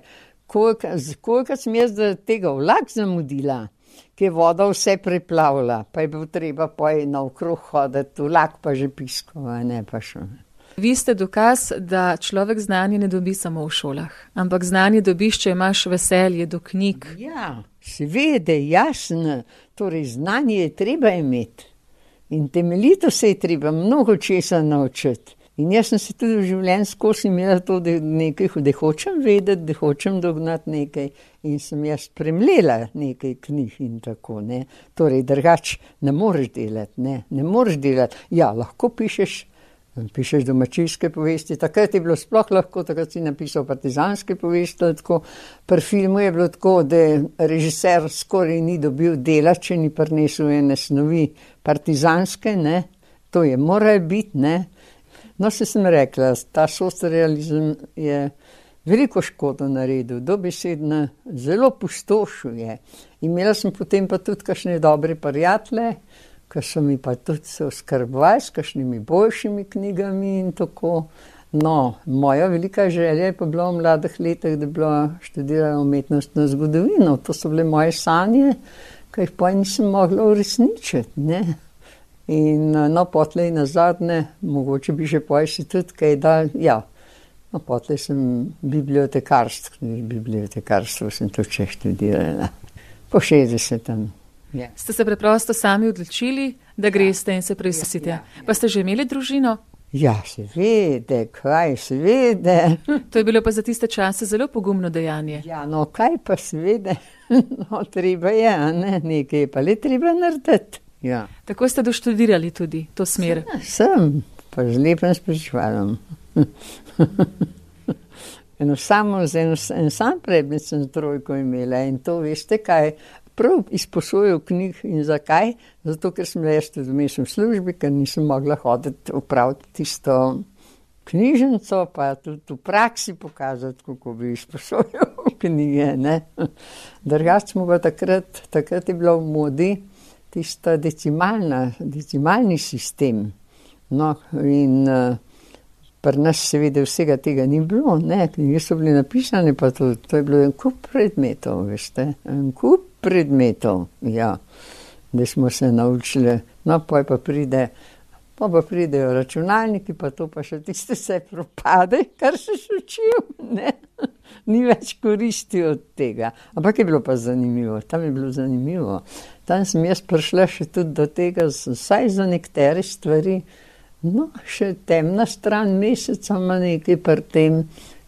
koliko sem jaz tega vlak zamudila, ki je voda vse preplavila, pa je bilo treba poj naokrog hoditi, vlak pa že piskal, ne pa šel. Vi ste dokaz, da človek znanje ne dobi samo v šolah, ampak znanje dobiš, če imaš veselje do knjig. Ja, seveda, jasno, torej znanje je treba imeti in temeljito se je treba mnogo česa naučiti. In jaz sem se tudi v življenju skozi imela to, da hočem vedeti, da hočem dognati nekaj in sem jaz premlela nekaj knjig in tako, ne. Torej, drugače ne moreš delati, ne moreš delati. Ja, lahko pišeš domačijske povesti, takrat je bilo sploh lahko, takrat si napisal partizanske povesti, tako. Pri filmu je bilo tako, da režiser skoraj ni dobil dela, če ni prinesel ene snovi partizanske, ne, to je moral biti, ne. No, se sem rekla, ta socrealizem je veliko škodo naredil, dobesedno zelo pustošil je. Imela sem potem pa tudi kakšne dobre prijatelje, ki so mi pa tudi se oskrbovali s kakšnimi boljšimi knjigami in tako. No, moja velika želja je pa bila v mladih letih, da bi bila študirala umetnostno zgodovino. To so bile moje sanje, ki jih pa nisem mogla uresničiti, ne. In no, potlej nazadnje, mogoče bi že poj si tudi kaj dal, ja. No, potlej sem bibliotekarstvo sem tudi še študirala. Po 60. Ja. Ste se preprosto sami odločili, da greste in se preizkusite. Ja. Pa ste že imeli družino? Ja, seveda, seveda. To je bilo pa za tiste čase zelo pogumno dejanje. Ja, no, kaj pa seveda, no, treba je, ne, nekaj je pa le treba narediti. Ja. Tako ste doštudirali tudi to smer? Sem, pa z lepim spričevalom. En sam predmet sem trojko imela in to veste kaj, prav izposojil knjig in zakaj? Zato, ker sem jaz tudi vmes v službi, ker nisem mogla hoditi upraviti tisto knjižnico, pa tudi v praksi pokazati, kako bi izposojil knjige, ne. Drugače smo pa takrat je bilo v modi tista decimalni sistem. No, in pri nas seveda vsega tega ni bilo, ne, knjige so bile napisane, pa to je bilo en kup predmetov, veste, en kup predmetov, ja, da smo se naučili, no, pa pridejo računalniki, pa to pa še tiste se propade, kar se učil, ne, ni več koristi od tega, ampak je bilo pa zanimivo, tam je bilo zanimivo, tam sem jaz prišla še tudi do tega, vsaj za nekatere stvari. No, še temna stran meseca ima nekaj pri tem,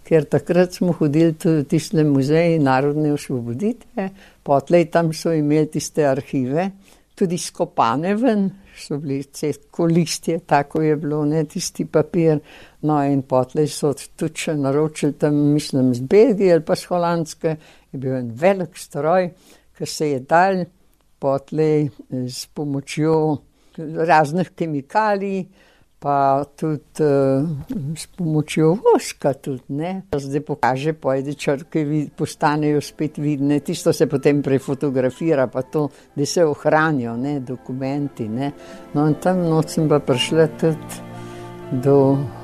ker takrat smo hodili tudi v tiste muzeji narodne osvoboditve, potlej tam so imeli tiste arhive, tudi skopane ven, so bili listje, tako je bilo, ne, tisti papir, no in potlej so tudi še naročili tam, mislim, z Belgije ali pa z Holandske, je bil en velik stroj, ker se je dal potlej s pomočjo raznih kemikalij, pa tudi s pomočjo voska tudi, ne. Zdaj pokaže, pojde črke, postanejo spet vidne, tisto se potem prefotografira, pa to, da se ohranijo, ne, dokumenti, ne. No in tam noč sem pa prišla tudi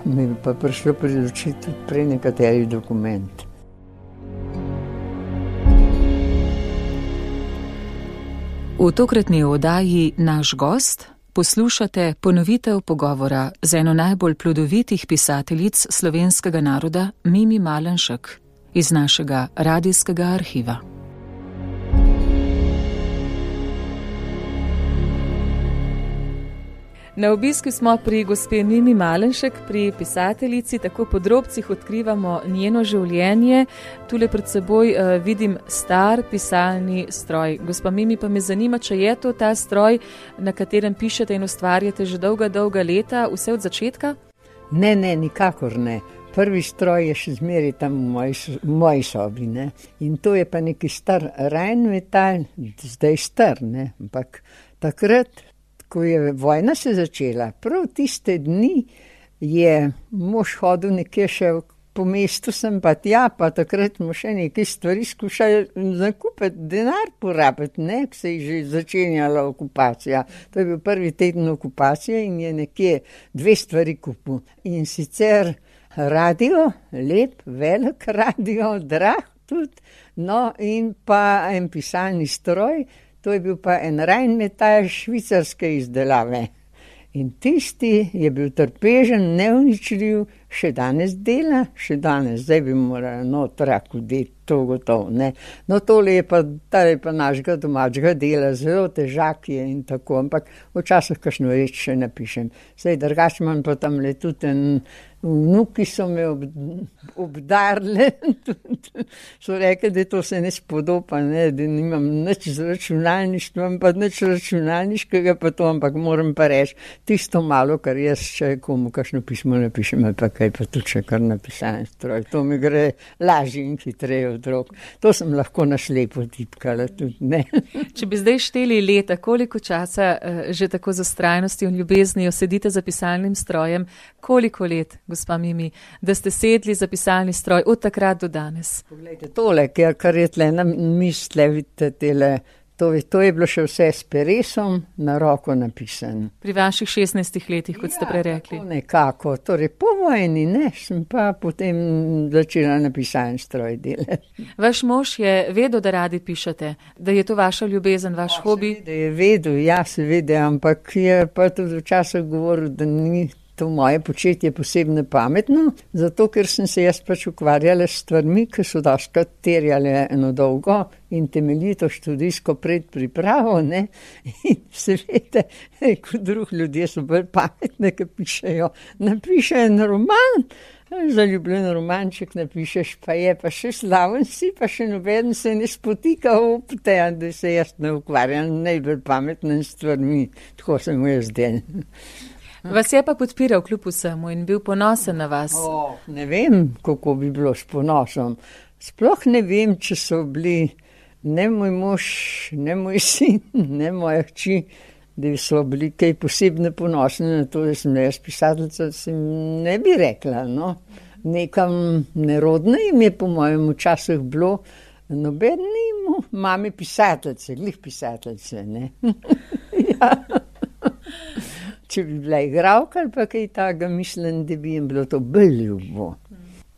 mi pa prišlo pri oči tudi pri nekaterih dokumenti. V tokratni oddaji Naš gost poslušate ponovitev pogovora z eno najbolj plodovitih pisateljic slovenskega naroda, Mimi Malenšek, iz našega radijskega arhiva. Na obisku smo pri gospe Mimi Malenšek, pri pisateljici, tako po drobcih odkrivamo njeno življenje. Tule pred seboj vidim star pisalni stroj. Gospa Mimi, pa me zanima, če je to ta stroj, na katerem pišete in ustvarjate že dolga leta, vse od začetka? Ne, nikakor ne. Prvi stroj je še zmeraj tam v moji sobi, ne. In to je pa neki star Rheinmetall, zdaj star, ne. Ampak takrat, ko je vojna se začela, prav tiste dni je mož hodil nekje še po mestu, sem pa tja, pa takrat smo še nekaj stvari skušali zakupiti, denar porabiti, ne, ko se je že začenjala okupacija. To je bil prvi teden okupacije in je nekje 2 stvari kupil. In sicer radio, lep, velik radio, drag tudi, no in pa en pisalni stroj. To je bil pa en Rheinmetall švicarske izdelave. In tisti je bil trpežen, neuničljiv, še danes dela, zdaj bi morali trak vdeti, to gotovo, ne. No, tole je pa našega domačega dela, zelo težak je in tako, ampak včasih kakšno reč še napišem. Zdaj drugače imam pa tam le tudi vnuki so me obdarili, so rekli, da to se ne spodoba, ne, da nimam nič z računalništvom, pa nič računalniškega, pa to, ampak moram pa reči, tisto malo, kar jaz še komu kakšno pismo napišem, ali pa kaj pa tudi še kar napisan stroj, to mi gre lažje in hitreje od rok. To sem lahko na slepo tipkala tudi, ne. Če bi zdaj šteli leta, koliko časa že tako z vztrajnostjo in ljubeznijo sedite za pisalnim strojem, koliko let, gospa Mimi, da ste sedli za pisalni stroj od takrat do danes? Poglejte, tole, kar je tle na misle, vidite, to je bilo še vse s peresom na roko napisano. Pri vaših 16 letih, kot ste prej rekli. Ja, nekako, torej po vojni, ne, sem pa potem začela na pisalni stroj delati. Vaš mož je vedel, da radi pišete, da je to vaša ljubezen, vaš hobi? Seveda je vedel, ja, seveda, ampak je pa tudi včasih govoril, da ni to moje početje posebno pametno, zato ker sem se jaz pač ukvarjala s stvarmi, ki so dostikrat terjale eno dolgo in temeljito študijsko predpripravo, ne, in seveda, kot drugi ljudje so bolj pametne, ki pišejo, napiše en roman, Zaljubljen romanček napišeš, pa je pa še slaven si, pa še nobeden se ne spotika ob te, da se jaz ne ukvarjam najbolj pametnim stvarmi, tako sem jaz del. Vas je pa podpiral kljub vsemu in bil ponosen na vas? Ne vem, kako bi bilo s ponosom. Sploh ne vem, če so bili ne moj mož, ne moj sin, ne moja hči, da so bili kaj posebno ponosni na to, da sem jaz pisateljica, se ne bi rekla, no. Nekam nerodno jim je po mojem včasih bilo, noben ni imel mame pisateljice, glih pisateljice, ne. Ja. Če bi bila igralka ali pa kaj takega, mislim, da bi jim bilo to bolj ljubo.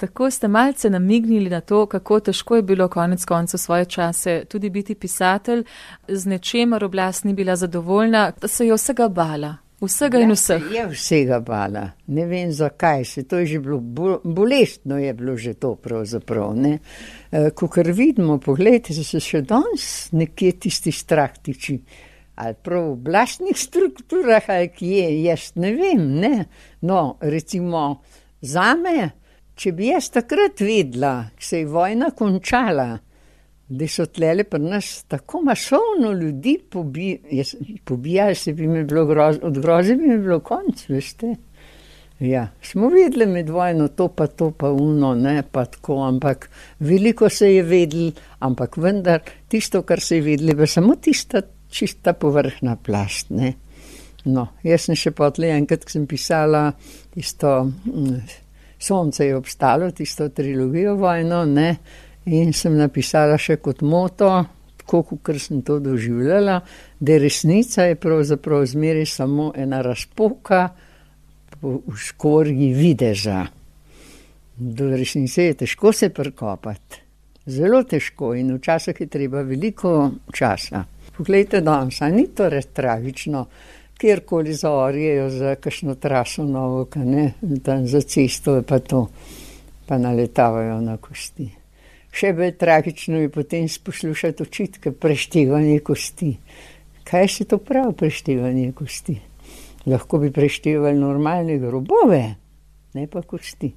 Tako ste malce namignili na to, kako težko je bilo konec koncev svoje čase tudi biti pisatelj, z nečemer oblast ni bila zadovoljna, da se je vsega bala, vsega in vseh. Je vsega bala, ne vem zakaj se, to je že bilo, bolestno je bilo že to pravzaprav, ne. Kakor vidimo, pogledajte, se še danes nekje tisti strah tiči, ali prav v oblastnih strukturah, ali kje, jaz ne vem, ne. No, recimo, zame, če bi jaz takrat vedela, ko se je vojna končala, da so tlele pri nas tako masovno ljudi pobijali, se bi mi bilo od groze bi mi bilo konc, veste. Ja, smo vedeli med vojno to pa uno, ne, pa tako, ampak veliko se je vedeli, ampak vendar tisto, kar se je vedeli, pa samo tista čista povrhna plast, ne. No, jaz sem še potlej enkrat, ko sem pisala tisto Sonce je obstalo, tisto trilogijo vojno, ne, in sem napisala še kot moto, tako kot sem to doživljala, da resnica je pravzaprav zmeraj samo ena razpoka v škorji videza. Do resnice je težko se prikopati, zelo težko in včasih je treba veliko časa. Poglejte danes, a ni to res tragično, kjerkoli zaorjejo za kakšno traso novo, ne, tam za cesto pa to, pa naletavajo na kosti. Še bolj tragično je potem poslušati očitke, preštevanje kosti. Kaj se to pravi, preštevanje kosti? Lahko bi preštevali normalne grobove, ne pa kosti.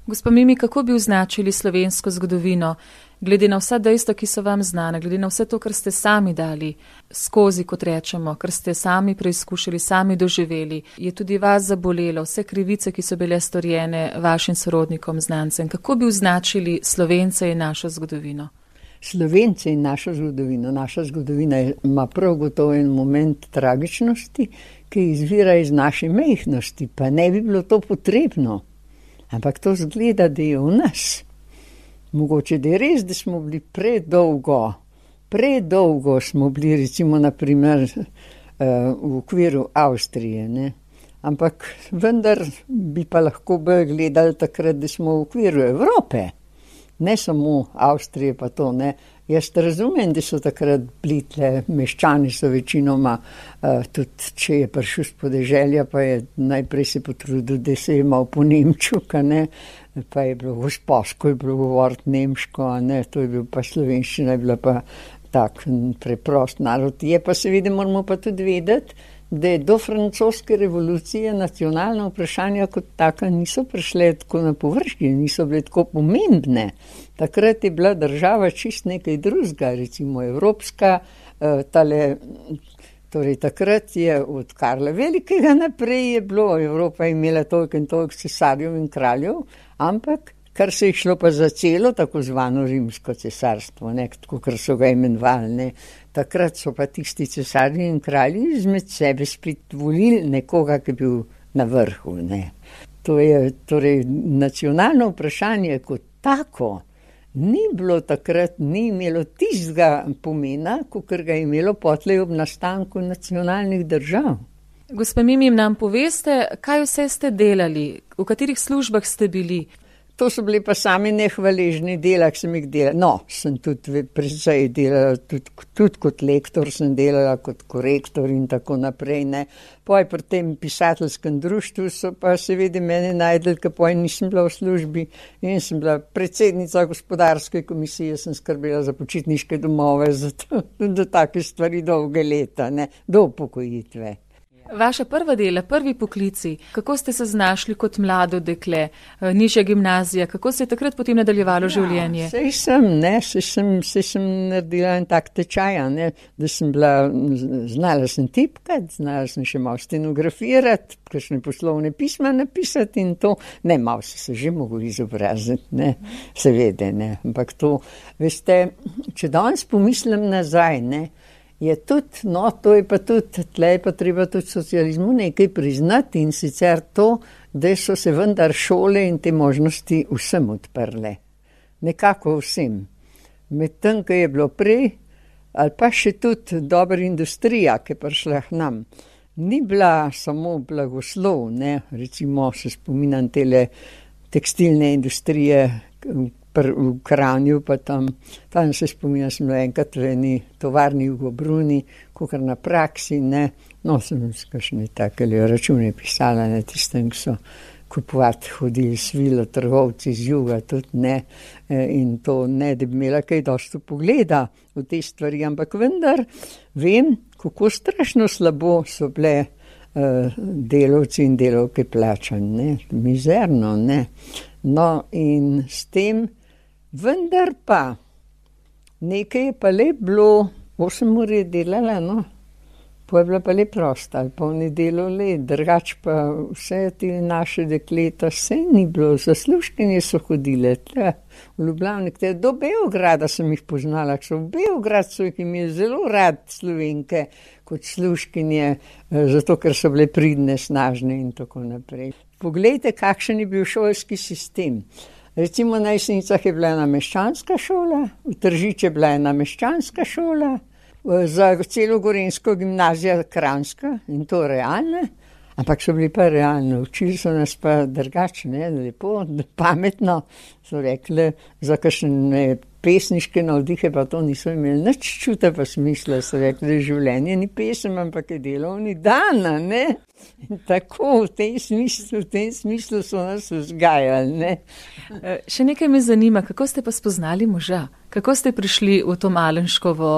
Gospa Mimi, kako bi označili slovensko zgodovino, glede na vsa dejstva, ki so vam znane, glede na vse to, kar ste sami dali skozi, kot rečemo, kar ste sami preizkušali, sami doživeli, je tudi vas zabolelo, vse krivice, ki so bile storjene vašim sorodnikom, znancem. Kako bi označili Slovence in našo zgodovino? Slovence in našo zgodovino. Naša zgodovina ima prav gotovo en moment tragičnosti, ki izvira iz naše majhnosti, pa ne bi bilo to potrebno. Ampak to zgleda, da je v nas. Mogoče da je res, da smo bili predolgo smo bili, recimo naprimer v okviru Avstrije, ne. Ampak vendar bi pa lahko bolj gledali takrat, da smo v okviru Evrope, ne samo Avstrije pa to, ne. Jaz razumem, da so takrat bili tle, meščani so večinoma, tudi če je prišel s podeželja, pa je najprej se potrudil, da se je imel po nemčuka, ne, pa je bilo gosposko, je bilo govoriti nemško, ne, to je bil pa slovenščina, je bila pa tak preprost narod. Je pa seveda, moramo pa tudi vedeti, da je do francoske revolucije nacionalna vprašanja kot taka niso prišle tako na površje, niso bile tako pomembne. Takrat je bila država čist nekaj drugega, recimo evropska, torej takrat je od Karla Velikega naprej je bilo, Evropa je imela toliko in toliko cesarjev in kraljev, ampak kar se je šlo pa za celo tako zvano rimsko cesarstvo, ne, tako kar so ga imenovali, ne. Takrat so pa tisti cesarji in kralji izmed sebe spet volili nekoga, ki je bil na vrhu, ne. To je torej nacionalno vprašanje kot tako, ni bilo takrat, ni imelo tistega pomena, kakor ga je imelo potlej ob nastanku nacionalnih držav. Gospa Mimi, nam poveste, kaj vse ste delali, v katerih službah ste bili? To so bili pa sami nehvaležni dela, ki sem jih delala. No, sem tudi precej delala, tudi kot lektor sem delala, kot korektor in tako naprej, ne. Poj pri tem pisateljskem društvu so pa seveda mene najdeli, ker poj nisem bila v službi in sem bila predsednica gospodarske komisije, sem skrbela za počitniške domove, za to, do take stvari dolge leta, ne, do upokojitve. Vaša prva dela, prvi poklici, kako ste se znašli kot mlado dekle, nižja gimnazija, kako se je takrat potem nadaljevalo življenje? Sej sem naredila en tak tečaj, da sem znala sem tipkati, znala sem še malo stenografirati, kakšne poslovne pisma napisati in to. Ne, malo se že mogel izobraziti, ne, seveda, ne, ampak to, veste, če danes pomislim nazaj, ne, je tudi, no, to je pa tudi, tle je pa treba tudi socializmu nekaj priznati in sicer to, da so se vendar šole in te možnosti vsem odprle. Nekako vsem. Medtem, ko je bilo prej, ali pa še tudi dobra industrija, ki je prišla k nam, ni bila samo blagoslov, ne, recimo se spominjam tele tekstilne industrije, v Kranju, pa tam se spominjam, sem bila enkrat v eni tovarni v Gobruni, kakor na praksi, ne, no, sem kakšne takele račune pisala na tistem, ki so kupovati hodili svilo, trgovci z juga, tudi ne, in to ne, da bi imela kaj dosti pogleda v te stvari, ampak vendar vem, kako strašno slabo so bile delavci in delavke plačani, ne, mizerno, ne. No, in s tem vendar pa, nekaj je pa le bilo, 8 ur je delala, no, pa je bila pa le prosta, ali pa v nedelo le, drugač pa vse te naše dekleta, vse ni bilo, zaslužkinje so hodile, tle, v Ljubljani, do Beograda sem jih poznala, v Beograd so jih imeli zelo rad Slovenke, kot služkinje, zato ker so bile pridne, snažne in tako naprej. Poglejte, kakšen je bil šolski sistem. Recimo na Jesenicah je bila ena meščanska šola, v Tržič je bila ena meščanska šola, za celo Gorenjsko gimnazija Kranjska in to realne, ampak so bili pa realno, učili so nas pa drugače, lepo, pametno, so rekli, za kakšne pesniške navdihe pa to niso imeli nič čuta pa smisla, so rekli, da življenje ni pesem, ampak je delovni dan, ne? In tako, v tem smislu so nas vzgajali, ne? Še nekaj me zanima, kako ste pa spoznali moža? Kako ste prišli v to Malenškovo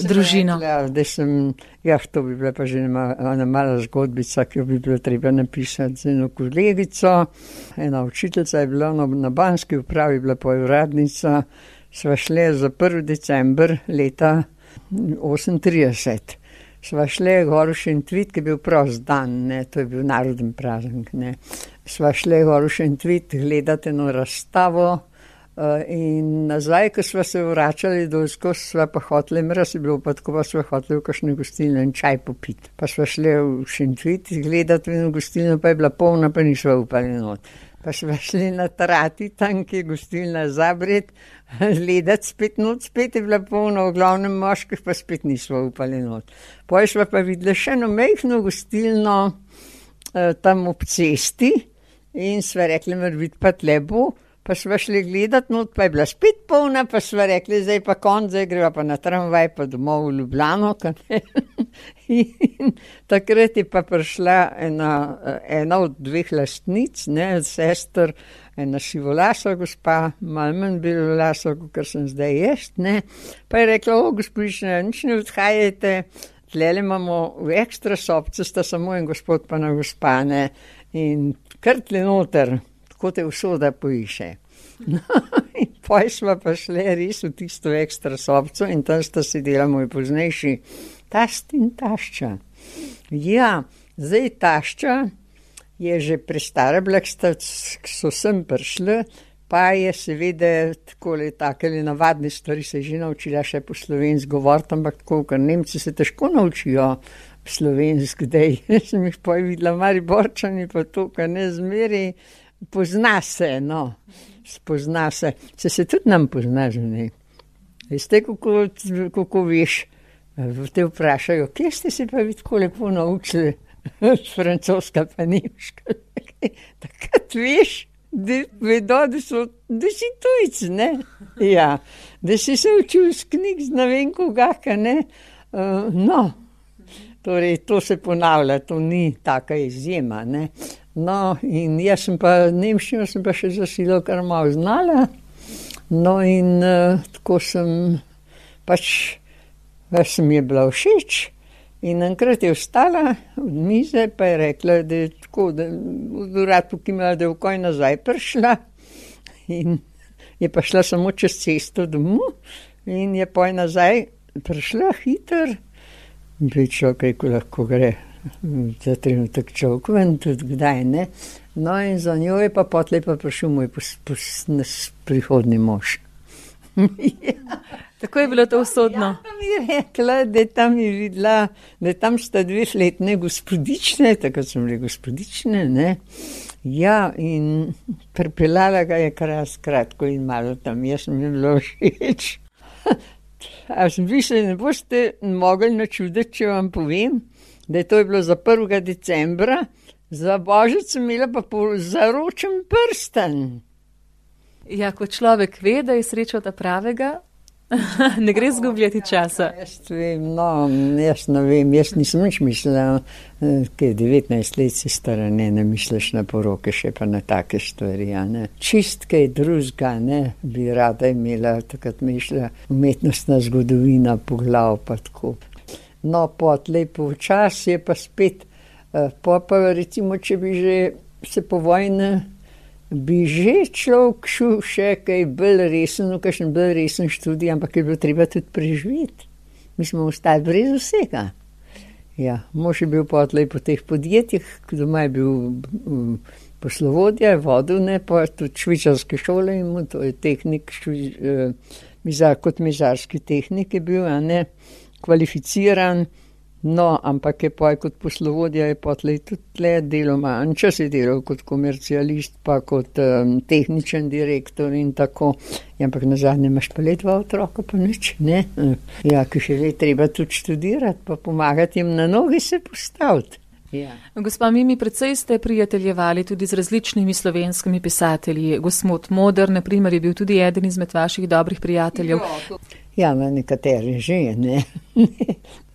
družino? To bi bila pa že ena mala zgodbica, ki jo bi bilo treba napisati z eno kolegico. Ena učiteljica je bila na Banski upravi, bila pa uradnica. Sva šle za 1. december leta 1938. Sva šle gor v Šentvid, ki je bil prost dan, ne, to je bil naroden praznik, ne. Sva šle gor v Šentvid gledati eno razstavo in nazaj, ko sva se vračali dolsko, sva pa hoteli, mraz je bilo pa tako, pa sva hoteli v kakšne gostilne in čaj popiti. Pa sva šle v Šentvid gledati v eno gostilno, pa je bila polna, pa nisva upali not. Pa sva šli na Trati, tam, ki je gostilna Zabred, gledati spet je bila polna, v glavnem moških, pa spet nisva upali not. Potem sva pa videla še eno majhno gostilno tam ob cesti in sva rekli, mar vid pa tle bo, pa sva šli gledati not, pa je bila spet polna, pa sva rekli, zdaj pa konc, zdaj greva pa na tramvaj, pa domov v Ljubljano. In takrat je pa prišla ena od 2 lastnic, ne, sester, ena sivolasa gospa, malo manj belolasa, kot sem zdaj jaz, ne, pa je rekla, gospodična, nič ne odhajajte, tlele imamo v ekstra sobce, sta samo en gospod pa na gospa, ne, in kar tle noter, tako te usoda poiše. No, in potem sva pa šle res v tisto ekstra sobco in tam sta sedela moj poznejši tast in tašča. Ja, zdaj tašča je že prestara bila, ki so sem prišli, pa je seveda takele navadne stvari se je že naučila še po slovensko govoriti, ampak tako, ker Nemci se težko naučijo slovensko, dej, sem jih potem videla Mariborčani, pa to, kar ne zmeri, pozna se, no, spozna se, se tudi nam pozna, že ne. Veste, kako veš, te vprašajo, kje ste se pa vi tako lepo naučili francoska pa nemška? Takrat veš, da vedo, da si tujc, ne? Ja, da si se učil z knjig, z ne vem kogaka, ne? No, torej to se ponavlja, to ni taka izjema, ne? No, in jaz sem pa nemščino sem pa še za silo kar malo znala, no in tako sem pač, sem je bila všeč In enkrat je vstala od mize, pa je rekla, da je tako, da v urad pokimala, da je vkoj nazaj prišla in je pa šla samo čez cesto domov in je poj nazaj prišla hiter. In bi človek rekel, lahko gre za trenutek človek ven, tudi kdaj ne. No in za njo je pa potlej pa prišel moj prihodni mož. Ja. Tako je bilo to usodno. Ja, pa mi je rekla, da tam je videla, da tam sta 2-letne gospodične, tako so bile gospodične, ne. Ja, in pripeljala ga je kratko in malo tam, jaz sem jim bilo všeč. A vi se ne boste mogli načuditi, če vam povem, da je to bilo za 1. decembra, za Božič sem imela pa zaročen prsten. Ja, ko človek ve, da je sreča ta pravega, ne gre zgubljati časa. Jaz ne vem, jaz nisem nič mislila, kaj 19 let si stara, ne misliš na poroke, še pa na take stvari, ne. Čist kaj drugega, ne, bi rada imela, takrat mišla umetnostna zgodovina, poglav pa tako. No, potlej počas je pa spet, pa recimo, če bi že se po vojni, bi že človek šel še kaj bolj resen, kakšen bolj resen študij, ampak je bilo treba tudi preživeti. Mi smo ostali brez vsega. Ja, mož je bil potlej po teh podjetjih, doma je bil poslovodja, vodil, ne, pa tudi švicarske šole in to je tehnik, kot mizarski tehnik je bil, a ne, kvalificiran. No, ampak je pa kot poslovodja je potlej tudi tle deloma, čas je delal kot komercialist, pa kot tehničen direktor in tako. Ja, ampak nazadnje imaš pa le 2 otroka, pa nič, ne. Ja, ki še le treba tudi študirati, pa pomagati jim na nogi se postaviti. Ja. Gospa Mimi, precej ste prijateljevali tudi z različnimi slovenskimi pisatelji. Gospod Moder, na primer, je bil tudi eden izmed vaših dobrih prijateljev. Ja, na nekateri že, ne.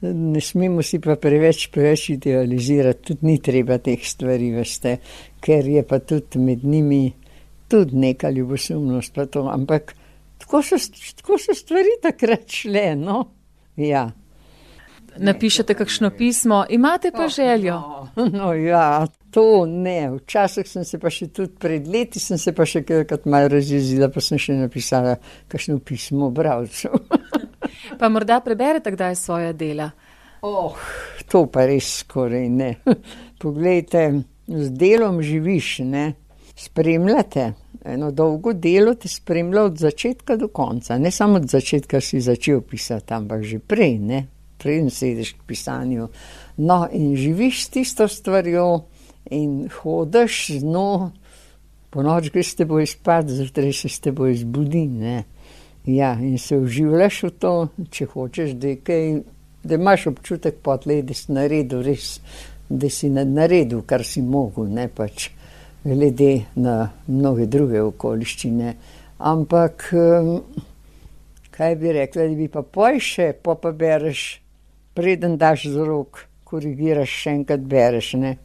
Ne smemo si pa preveč idealizirati, tudi ni treba teh stvari, veste, ker je pa tudi med njimi tudi neka ljubosumnost pa to, ampak tako so stvari takrat šle, no. Ja. Napišete kakšno pismo, imate pa željo? No ja, to ne. Včasih sem se pa še tudi pred leti, sem se pa še kakrat malo razjezila, pa sem še napisala kakšno pismo bralcu. Pa morda preberete kdaj svoja dela? To pa res skoraj ne. Poglejte, z delom živiš, ne. Spremljate. Eno dolgo delo te spremlja od začetka do konca. Ne samo od začetka si začel pisati, ampak že prej, ne. Preden sediš k pisanju. No, in živiš s tisto stvarjo in hodiš z njo, po noč greš s teboj spat, zjutraj se s teboj zbudi, ne. Ja, in se vživljaš v to, če hočeš, da imaš občutek potlej, da si naredil res, da si naredil, kar si mogel, ne pač glede na mnoge druge okoliščine. Ampak, kaj bi rekla, da bi pa poj še, pa bereš, preden daš z rok, korigiraš, še enkrat bereš, ne.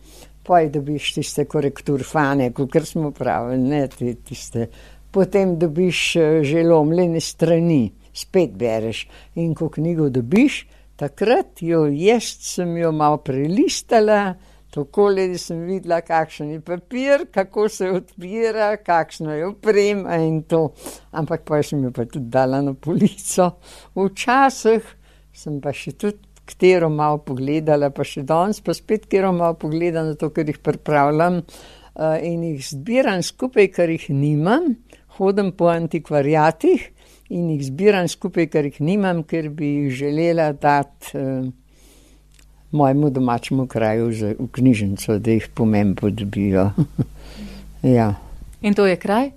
Poj dobiš tiste korekturfane, kakor smo pravili, ne, tiste. Potem dobiš že lomljene strani, spet bereš. In ko knjigo dobiš, takrat sem jo malo prelistala, takole, da sem videla, kakšen je papir, kako se odpira, kakšno je oprema in to. Ampak pa sem jo pa tudi dala na polico. Včasih sem pa še tudi katero malo pogledala, pa še danes pa spet katero malo pogledala, to, ker jih pripravljam in jih zbiram skupaj, ker jih nimam. Hodim po antikvariatih in jih zbiram skupaj, ker jih nimam, ker bi jih želela dati mojemu domačemu kraju v knjižnico, da jih pomembno dobijo. Ja. In to je kraj?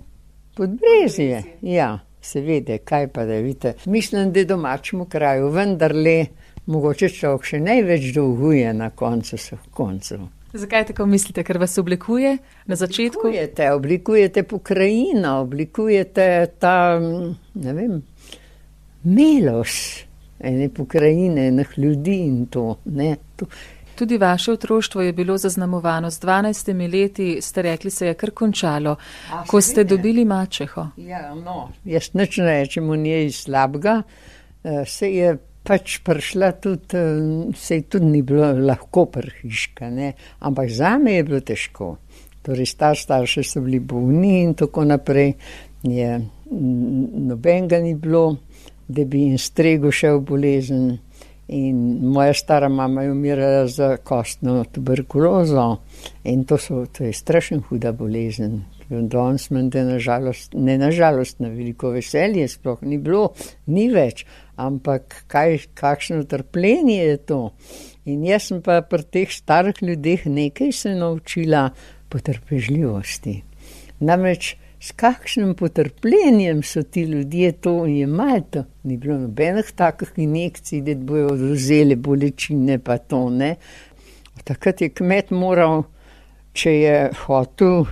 Podbrezje, ja. Seveda, kaj pa da vidite. Mislim, da domačemu kraju vendarle mogoče človek še največ dolguje na koncu vseh koncev. Zakaj tako mislite? Ker vas oblikuje na začetku? Oblikujete pokrajino, oblikujete ta, ne vem, milost ene pokrajine, enih ljudi in to, ne. Tudi vaše otroštvo je bilo zaznamovano. Z 12 leti ste rekli, se je kar končalo, ko ste dobili mačeho. Ja, no, jaz nič ne rečem o njej slabega. Se je pač prišla tudi, sej tudi ni bilo lahko prhiška, ne, ampak zame je bilo težko. Torej, starši so bili bolni in tako naprej, nobenega ni bilo, da bi jim stregel še v bolezen. In moja stara mama je umirala za kostno tuberkulozo in to je strašno huda bolezen. Danes menda nažalost, na veliko veselje sploh ni bilo, ni več, ampak kakšno trpljenje je to. In jaz sem pa pri teh starih ljudeh nekaj se naučila potrpežljivosti. Namreč s kakšnim potrpljenjem so ti ljudje to jemali, to ni bilo nobenih takih injekcij, da bojo odvzeli bolečine pa to, ne. Takrat je kmet moral, če je hotel,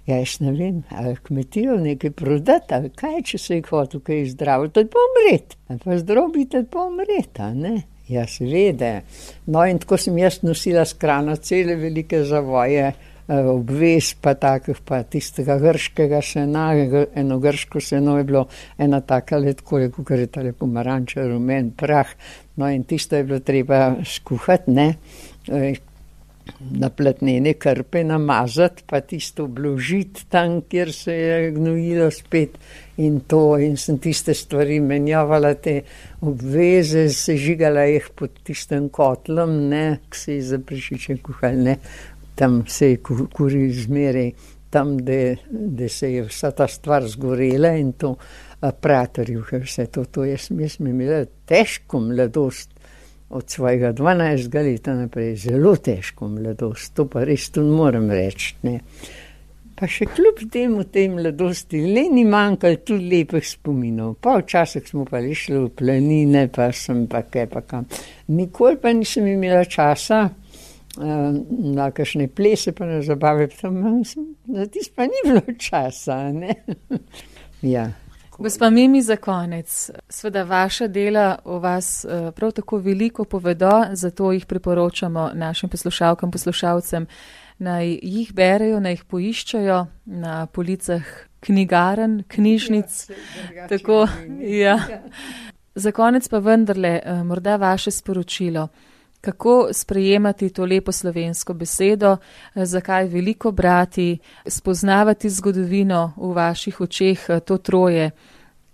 jaz ne vem, ali kmetijo nekaj prodati, ali kaj, če se je hotel kaj zdraviti, ali pa umreti, ali pa zdrobiti, ali pa umreti, ne. Ja, seveda. No, in tako sem jaz nosila s krano cele velike zavoje, obvez pa takih, pa tistega grškega sena, eno grško seno je bilo, ena taka letko, kakor je tale pomaranča, rumen prah, no, in tisto je bilo treba skuhati, ne, na platnene krpe namazati, pa tisto obložiti tam, kjer se je gnojilo spet in to, in sem tiste stvari menjavala, te obveze, sežigala jih pod tistem kotlom, ne, ki se je za prašiče kuhal, ne, tam se je kuril zmeraj, tam, da se je vsa ta stvar zgorela in to praterju, vse to, jaz sem imela težko mladost, od svojega 12 leta naprej, zelo težko mladost, to pa res tudi moram reči, ne. Pa še kljub temu tej mladosti, le ni manjkalo tudi lepih spominov, pa včasih smo pa šli v planine, pa sem pa kaj pa kam. Nikoli pa nisem imela časa, na kakšne plese pa na zabave, za tisto pa ni bilo časa, ne. Ja. Gospa Mimi, za konec, seveda vaša dela o vas prav tako veliko povedo, zato jih priporočamo našim poslušalkam, poslušalcem, naj jih berejo, naj jih poiščajo na policah knjigaren, knjižnic. Ja, tako, ja. Za konec pa vendarle, morda vaše sporočilo. Kako sprejemati to lepo slovensko besedo, zakaj veliko brati, spoznavati zgodovino v vaših očeh, to troje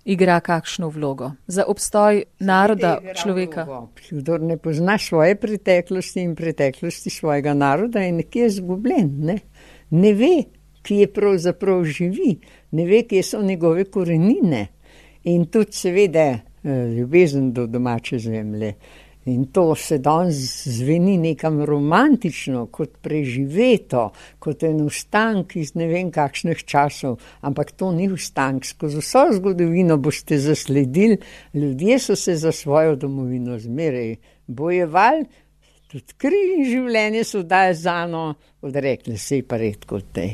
igra kakšno vlogo za obstoj naroda, človeka? Kdor ne pozna svoje preteklosti in preteklosti svojega naroda, je nekje izgubljen, ne? Ne ve, kje pravzaprav živi, ne ve, kje so njegove korenine in tudi seveda ljubezen do domače zemlje. In to se danes zveni nekam romantično, kot preživeto, kot en ustank iz ne vem kakšnih časov, ampak to ni ustank. Skozi vso zgodovino boste zasledili, ljudje so se za svojo domovino zmeraj bojevali, tudi kri in življenje so dali zano, odrekli se je pa redko tej.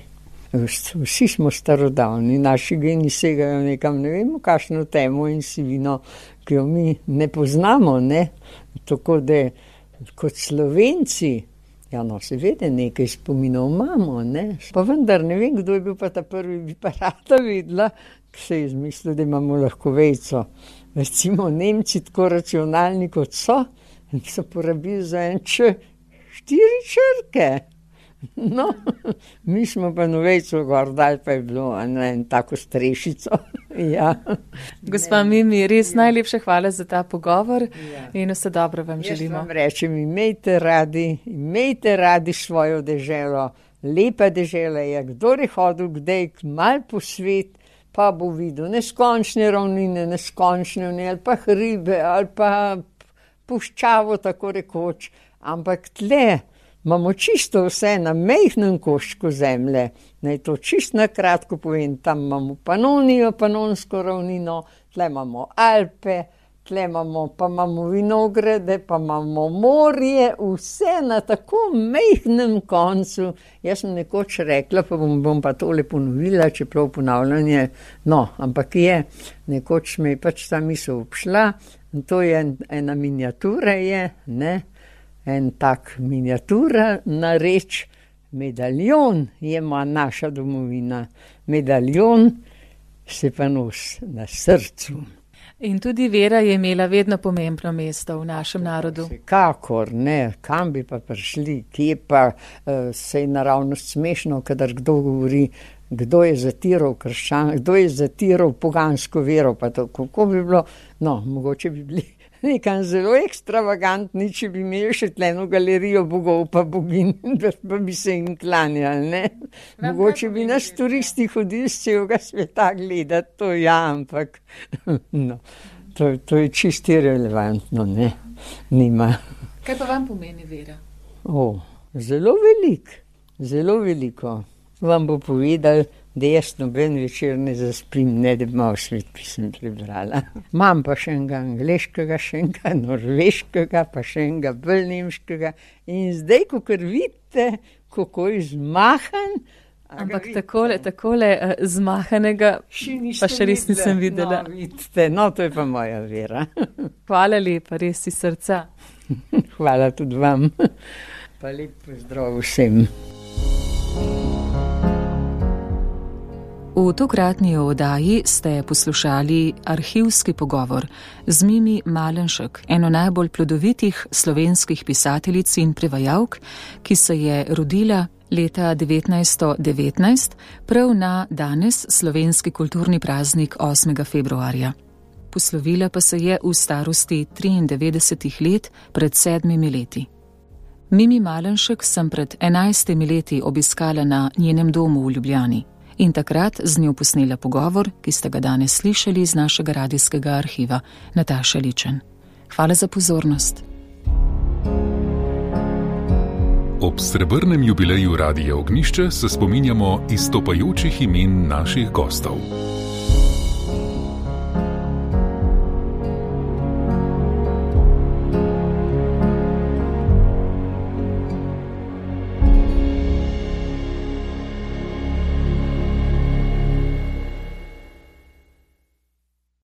Vsi smo starodavni, naši geni segajo nekam, ne vemo, kakšno temo in sivino, ki jo mi ne poznamo, ne. Tako da kot Slovenci, ja no, seveda nekaj spominov imamo, ne. Pa vendar ne vem, kdo je bil pa ta prvi, bi pa rada videla, ki se je izmislil, da imamo lahko vejico. Recimo Nemci, tako racionalni kot so porabili za en 4 črke. No, mi smo pa novejco gor dali, pa je bilo en tako strešico. Ja. Gospa Mimi, res najlepša hvala za ta pogovor in vse dobro vam želimo. Jaz vam rečem, imejte radi svojo deželo. Lepa dežela je, kdor je hodil kdaj malo po svet, pa bo videl neskončne ravnine, neskončne ali pa hribe, ali pa puščavo, tako rekoč, ampak tle imamo čisto vse na majhnem koščku zemlje. Naj to čisto na kratko povem, tam imamo Panonijo, Panonsko ravnino, tle imamo Alpe, tle imamo vinograde, pa imamo morje, vse na tako majhnem koncu. Jaz sem nekoč rekla, pa bom pa tole ponovila, čeprav ponavljanje, no, ampak nekoč me je pač ta misel obšla, in to je ena miniatura ne, en tak miniatura na reč, medaljon je naša domovina, medaljon se pa nosi na srcu. In tudi vera je imela vedno pomembno mesto v našem narodu. Kakor ne, kam bi pa prišli, kje pa se je naravnost smešno, kadar kdo govori, kdo je zatiral kdo je zatiral pogansko vero, pa to, kako bi bilo, no, mogoče bi bili nekam zelo ekstravagantni, če bi imeli še tleno galerijo bogov pa bogin, pa bi se jim klanjali, ne. Mogoče bi nas turisti hodili z celega sveta gledati, to ja, ampak no, to je čisto irelevantno, ne, nima. Kaj pa vam pomeni vera? Zelo veliko. Vam bo povedal, da jaz noben večer ne zaspim, ne da bi malo svetpisem prebrala. Imam pa še enega angleškega, še enega norveškega, pa še enega bolj nemškega in zdaj, kakor vidite, kako je zmahan. Ampak takole zmahanega pa še res nisem videla. No, vidite, no, to je pa moja vera. Hvala lepa, res iz srca. Hvala tudi vam. Pa lep pozdrav vsem. V tokratni oddaji ste poslušali arhivski pogovor z Mimi Malenšek, eno najbolj plodovitih slovenskih pisateljic in prevajalk, ki se je rodila leta 1919, prav na danes slovenski kulturni praznik 8. februarja. Poslovila pa se je v starosti 93 let pred 7 leti. Mimi Malenšek sem pred 11 leti obiskala na njenem domu v Ljubljani. In takrat z njo posnela pogovor, ki ste ga danes slišali iz našega radijskega arhiva, Nataša Ličen. Hvala za pozornost. Ob srebrnem jubileju Radia Ognjišče se spominjamo izstopajočih imen naših gostov.